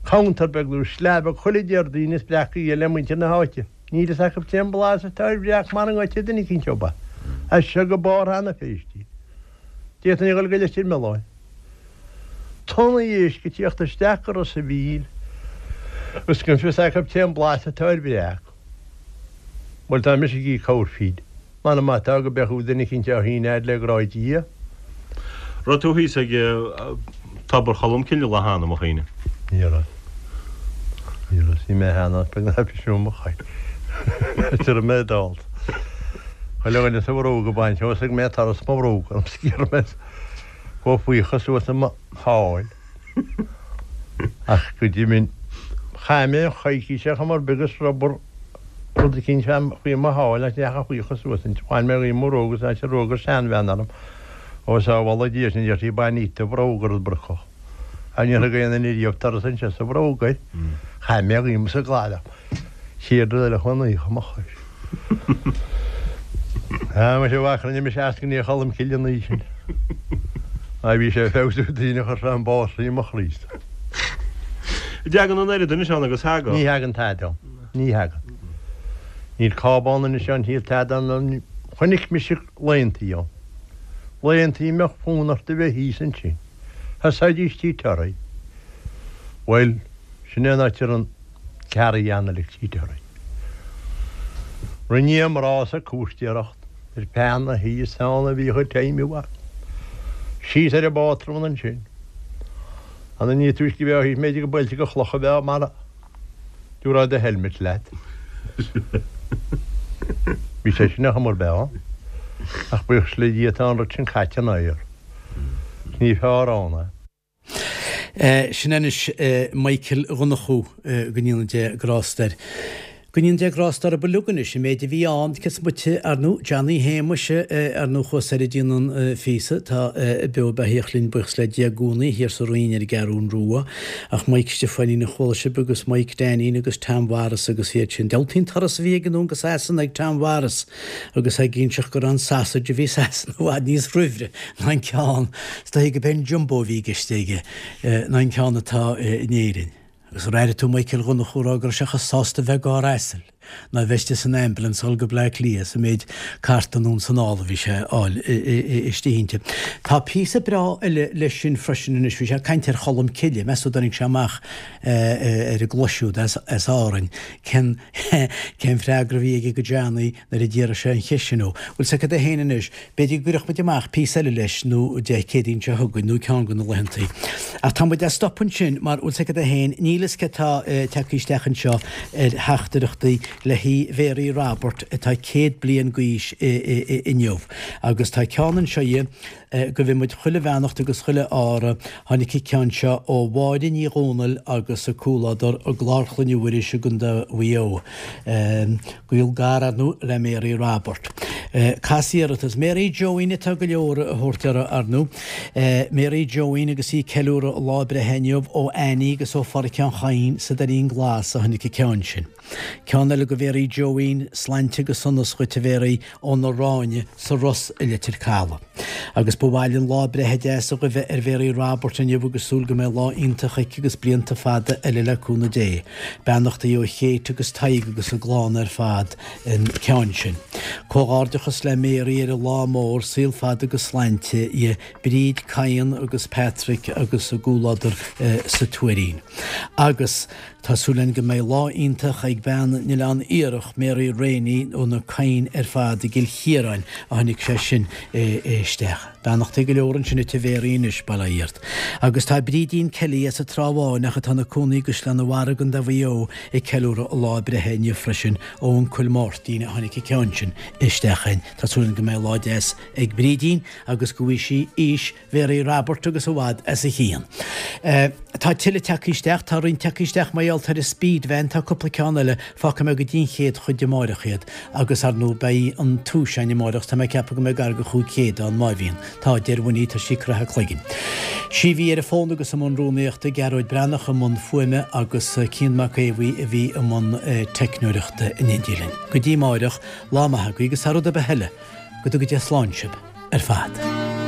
S3: Counter beag nó slab beag chuile Déardaoin is breac a dhíol le muintir na háite. Níl fhios acu cén blas atá ar bhreac mara ngoidte duine eicínt ób é. As seo go Barr na Feirste. D'fhéadfainn a dhul go Leitir Mealláin. Tonnaí éisc ag tíocht isteach go Ros a' Mhíl agus gan fios acu cén blas atá ar bhreac. Bhuel, tá mise ag íoc corrphingin. M'anam má tá go mbeadh duine eicínt á shíneadh fhad le grá Dia.
S8: Raibh tú thíos ag Tobar Cholm Cille lá cheana, mo chuimhne?
S3: Ní raibh. Ní raibh. Bhí mé cheana ach beag ná bhí mo chois. Is raibh mé dall. Chuile dhuine is a bhróga ag baint thosaigh mé turas mo bhróga orm sciorr mé chomh faocha suas i mo sháil. Ach go deimhin chaith mé an choicís ar chuma ar bith agus rubar rud eicínt faoi mo sháil ach ní dheachaigh faocha suas inti. Bhain mé dhíom mo bhróga is rug an seanbhean orm. Ó sábhála Dia sin a deir sí bain dhíot do bhróga ar an bpriocach. Ach níor thug aon duine riamh turas anseo sa bhróg air. Chaith mé dhíom sa gcladach. Chéad rud eile chuaigh an oíche i mo chois. Ah, muise bhfaca rinne mise eascainí Cholm Cille an oíche sin. Má bhí sé ag feabhsú daoine chuir sé an bás i mo chroí.
S8: Dtagann an oiread anois ann agus thagadh.
S3: Ní thagann tada ann. Ní thagann. Níl cábán anois ann, níl tada ann. Chonaic mise laethantaí ann. Laethantaí a mbeadh fonn ort a bheith thíos ansin. Thosaídís Tigh Terry. Bhuel, sin é an áit a raibh an carry-on ag Tigh Terry. Rinne a mná sa cúistéireacht ar feadh na hoíche is ann a bhíodh ag feidhmiú acu. Síos ar an bpátrún ansin. An ní túisce a bheadh thíos mb'fhéidir go buailte go chloch a bheadh mara dtabharfá do helmet leat. Bhí sé sin ar chuma ar bith ann. Ach buíochas le Dia tá an rud sin caite in aer. Ní fearr ann
S2: é. Sin anois Michael Dhonnchú, go ndéana Dia grásta air. Go ndéana Dia grásta orthu uilig anois, an méid a bhí ann, cé is moite, ar ndú, Johnny Shéamuis, ar ndú, thuas ar an déanann phíosa, atá beo beathaíoch linn, buíochas le Dia i gcónaí, thiar sa Rinn ar an gCeathrún Rua. Ach Mike Stiofáinín a chuala sibh agus Mike Dainín agus Tom Mhaurice agus iad sin. Diabhaltaí an turas a bhí ag anonn go Sasana ag Tom Mhaurice agus ag inseacht go raibh an sausage a bhí i Sasana i bhfad níos raimhre ná an ceann, is dóigh go b'é an Jumbo a bhí i gceist aige, ná an ceann atá in Éirinn. Agus ar airigh tú Michael Dhonnchú ag rá go raibh sé chomh sásta bheith i gcarr asail ná bheith istigh san ambulance a dhul go Bleá Cliath sa méid carta anonn 's anall a bhí sé a fháil istigh inti. Tá píosa breá eile leis sin freisin anois, bhí sé ag caint ar Cholm Cille, meas tú dtáinig sé amach ar an gclois siúd as Árainn, cén cén freagra a bhí aige go Johnny nuair a d'iarr sé an cheist sin ó. Bhfuil 's agat é féin anois, b'fhéidir go gcuirfeadh muid amach píosa eile leis nó Dé Céadaoin seo chugainn nó ceann de na laethantaí. Ach tá muid a' stop ansin mar, bhfuil 's agat é féin, níl fhios cé tá tagtha isteach anseo ar theachtaireachtaí le haghaidh Mhéaraí Roibeaird atá 100 bliain d'aois inniu. Agus tá ceann anseo dhe, Gabhann muid chuile bheannacht agus chuile ádh. Tháinig an ceann seo ó Mháire Ní Dhomhnaill agus a comhluadar i gClár Chloinne Mhuiris i gContae Mhaigh Eo. Gaol gar, ar ndú, le Mary Robert. Cas iarratas. Mary Joeín atá go leor a thabhairt uirthi, ar ndú. Mary Joeín agus í ag ceiliúradh a lá breithe inniu ó Annie agus ó Pháraic an Chadhain sa Doirín Glas a tháinig an ceann sin. Ceann eile go Mhéaraí Joeín, Slainte agus sonas dhuit a Mhéaraí ó na Ráinne sa Ros i Leitir Caladh. Agus ba mhaith linn lá breithe deas a ghuibhe ar Mhéaraí Robert inniu agus súil go mbeidh lá iontach aici agus blianta fada eile le cúnamh Dé. Beannachtaí ó Kate agus Tadhg agus a gclann ar fad an ceann sin. Comhghairdeachas le Mary ar a lá mór, saol fada agus slainte dhi, Bríd, Cian agus Patrick agus a gcomhluadar sa Tuairín. Agus. Tá súil againn go mbeidh lá iontach ag bean an Oileán Iarach, Mary Rainey ó na Cadhain ar fad i gCill Chiaráin a tháinig sé sin isteach. Beannachtaí go leor ansin duit a Mhary anois, bail ó Dhia ort. Agus tá Brídín Kelly as an Trá Bháin ach atá ina cónaí i gCaisleán an Bharraigh i gContae Mhaigh Eo ag ceiliúradh a lá breithe inniu freisin ó uncail Máirtín a tháinig an ceann sin isteach againn. Tá súil againn go mbeidh lá deas ag Brídín agus go bhfaighidh sí aois Mhary Robert agus i bhfad as a chionn. Tá tuilleadh tagtha isteach, tá roinnt tagtha isteach mar gheall ar an speed van, tá cúpla ceann eile, fágfaidh mé go dtí an chéad chuid amáireach iad agus ar ndóigh beidh an tomhas againn amáireach, tá mé ag ceapadh go mbeidh gar go 500 ann má bhíonn. Tá, deir Winnie, tá sí ag croitheadh a cloiginn. Sí a bhí ar an bhfón agus i mbun rúnaíochta, Gearóid Breathnach i mbun fuaime agus Cian Mac Aodha Bhuí a bhí i mbun teicneoireachta in éindí linn. Go dtí amáireach, lá maith agaibh agus thar rud ar bith eile, go dtuga Dia slán sibh ar fad.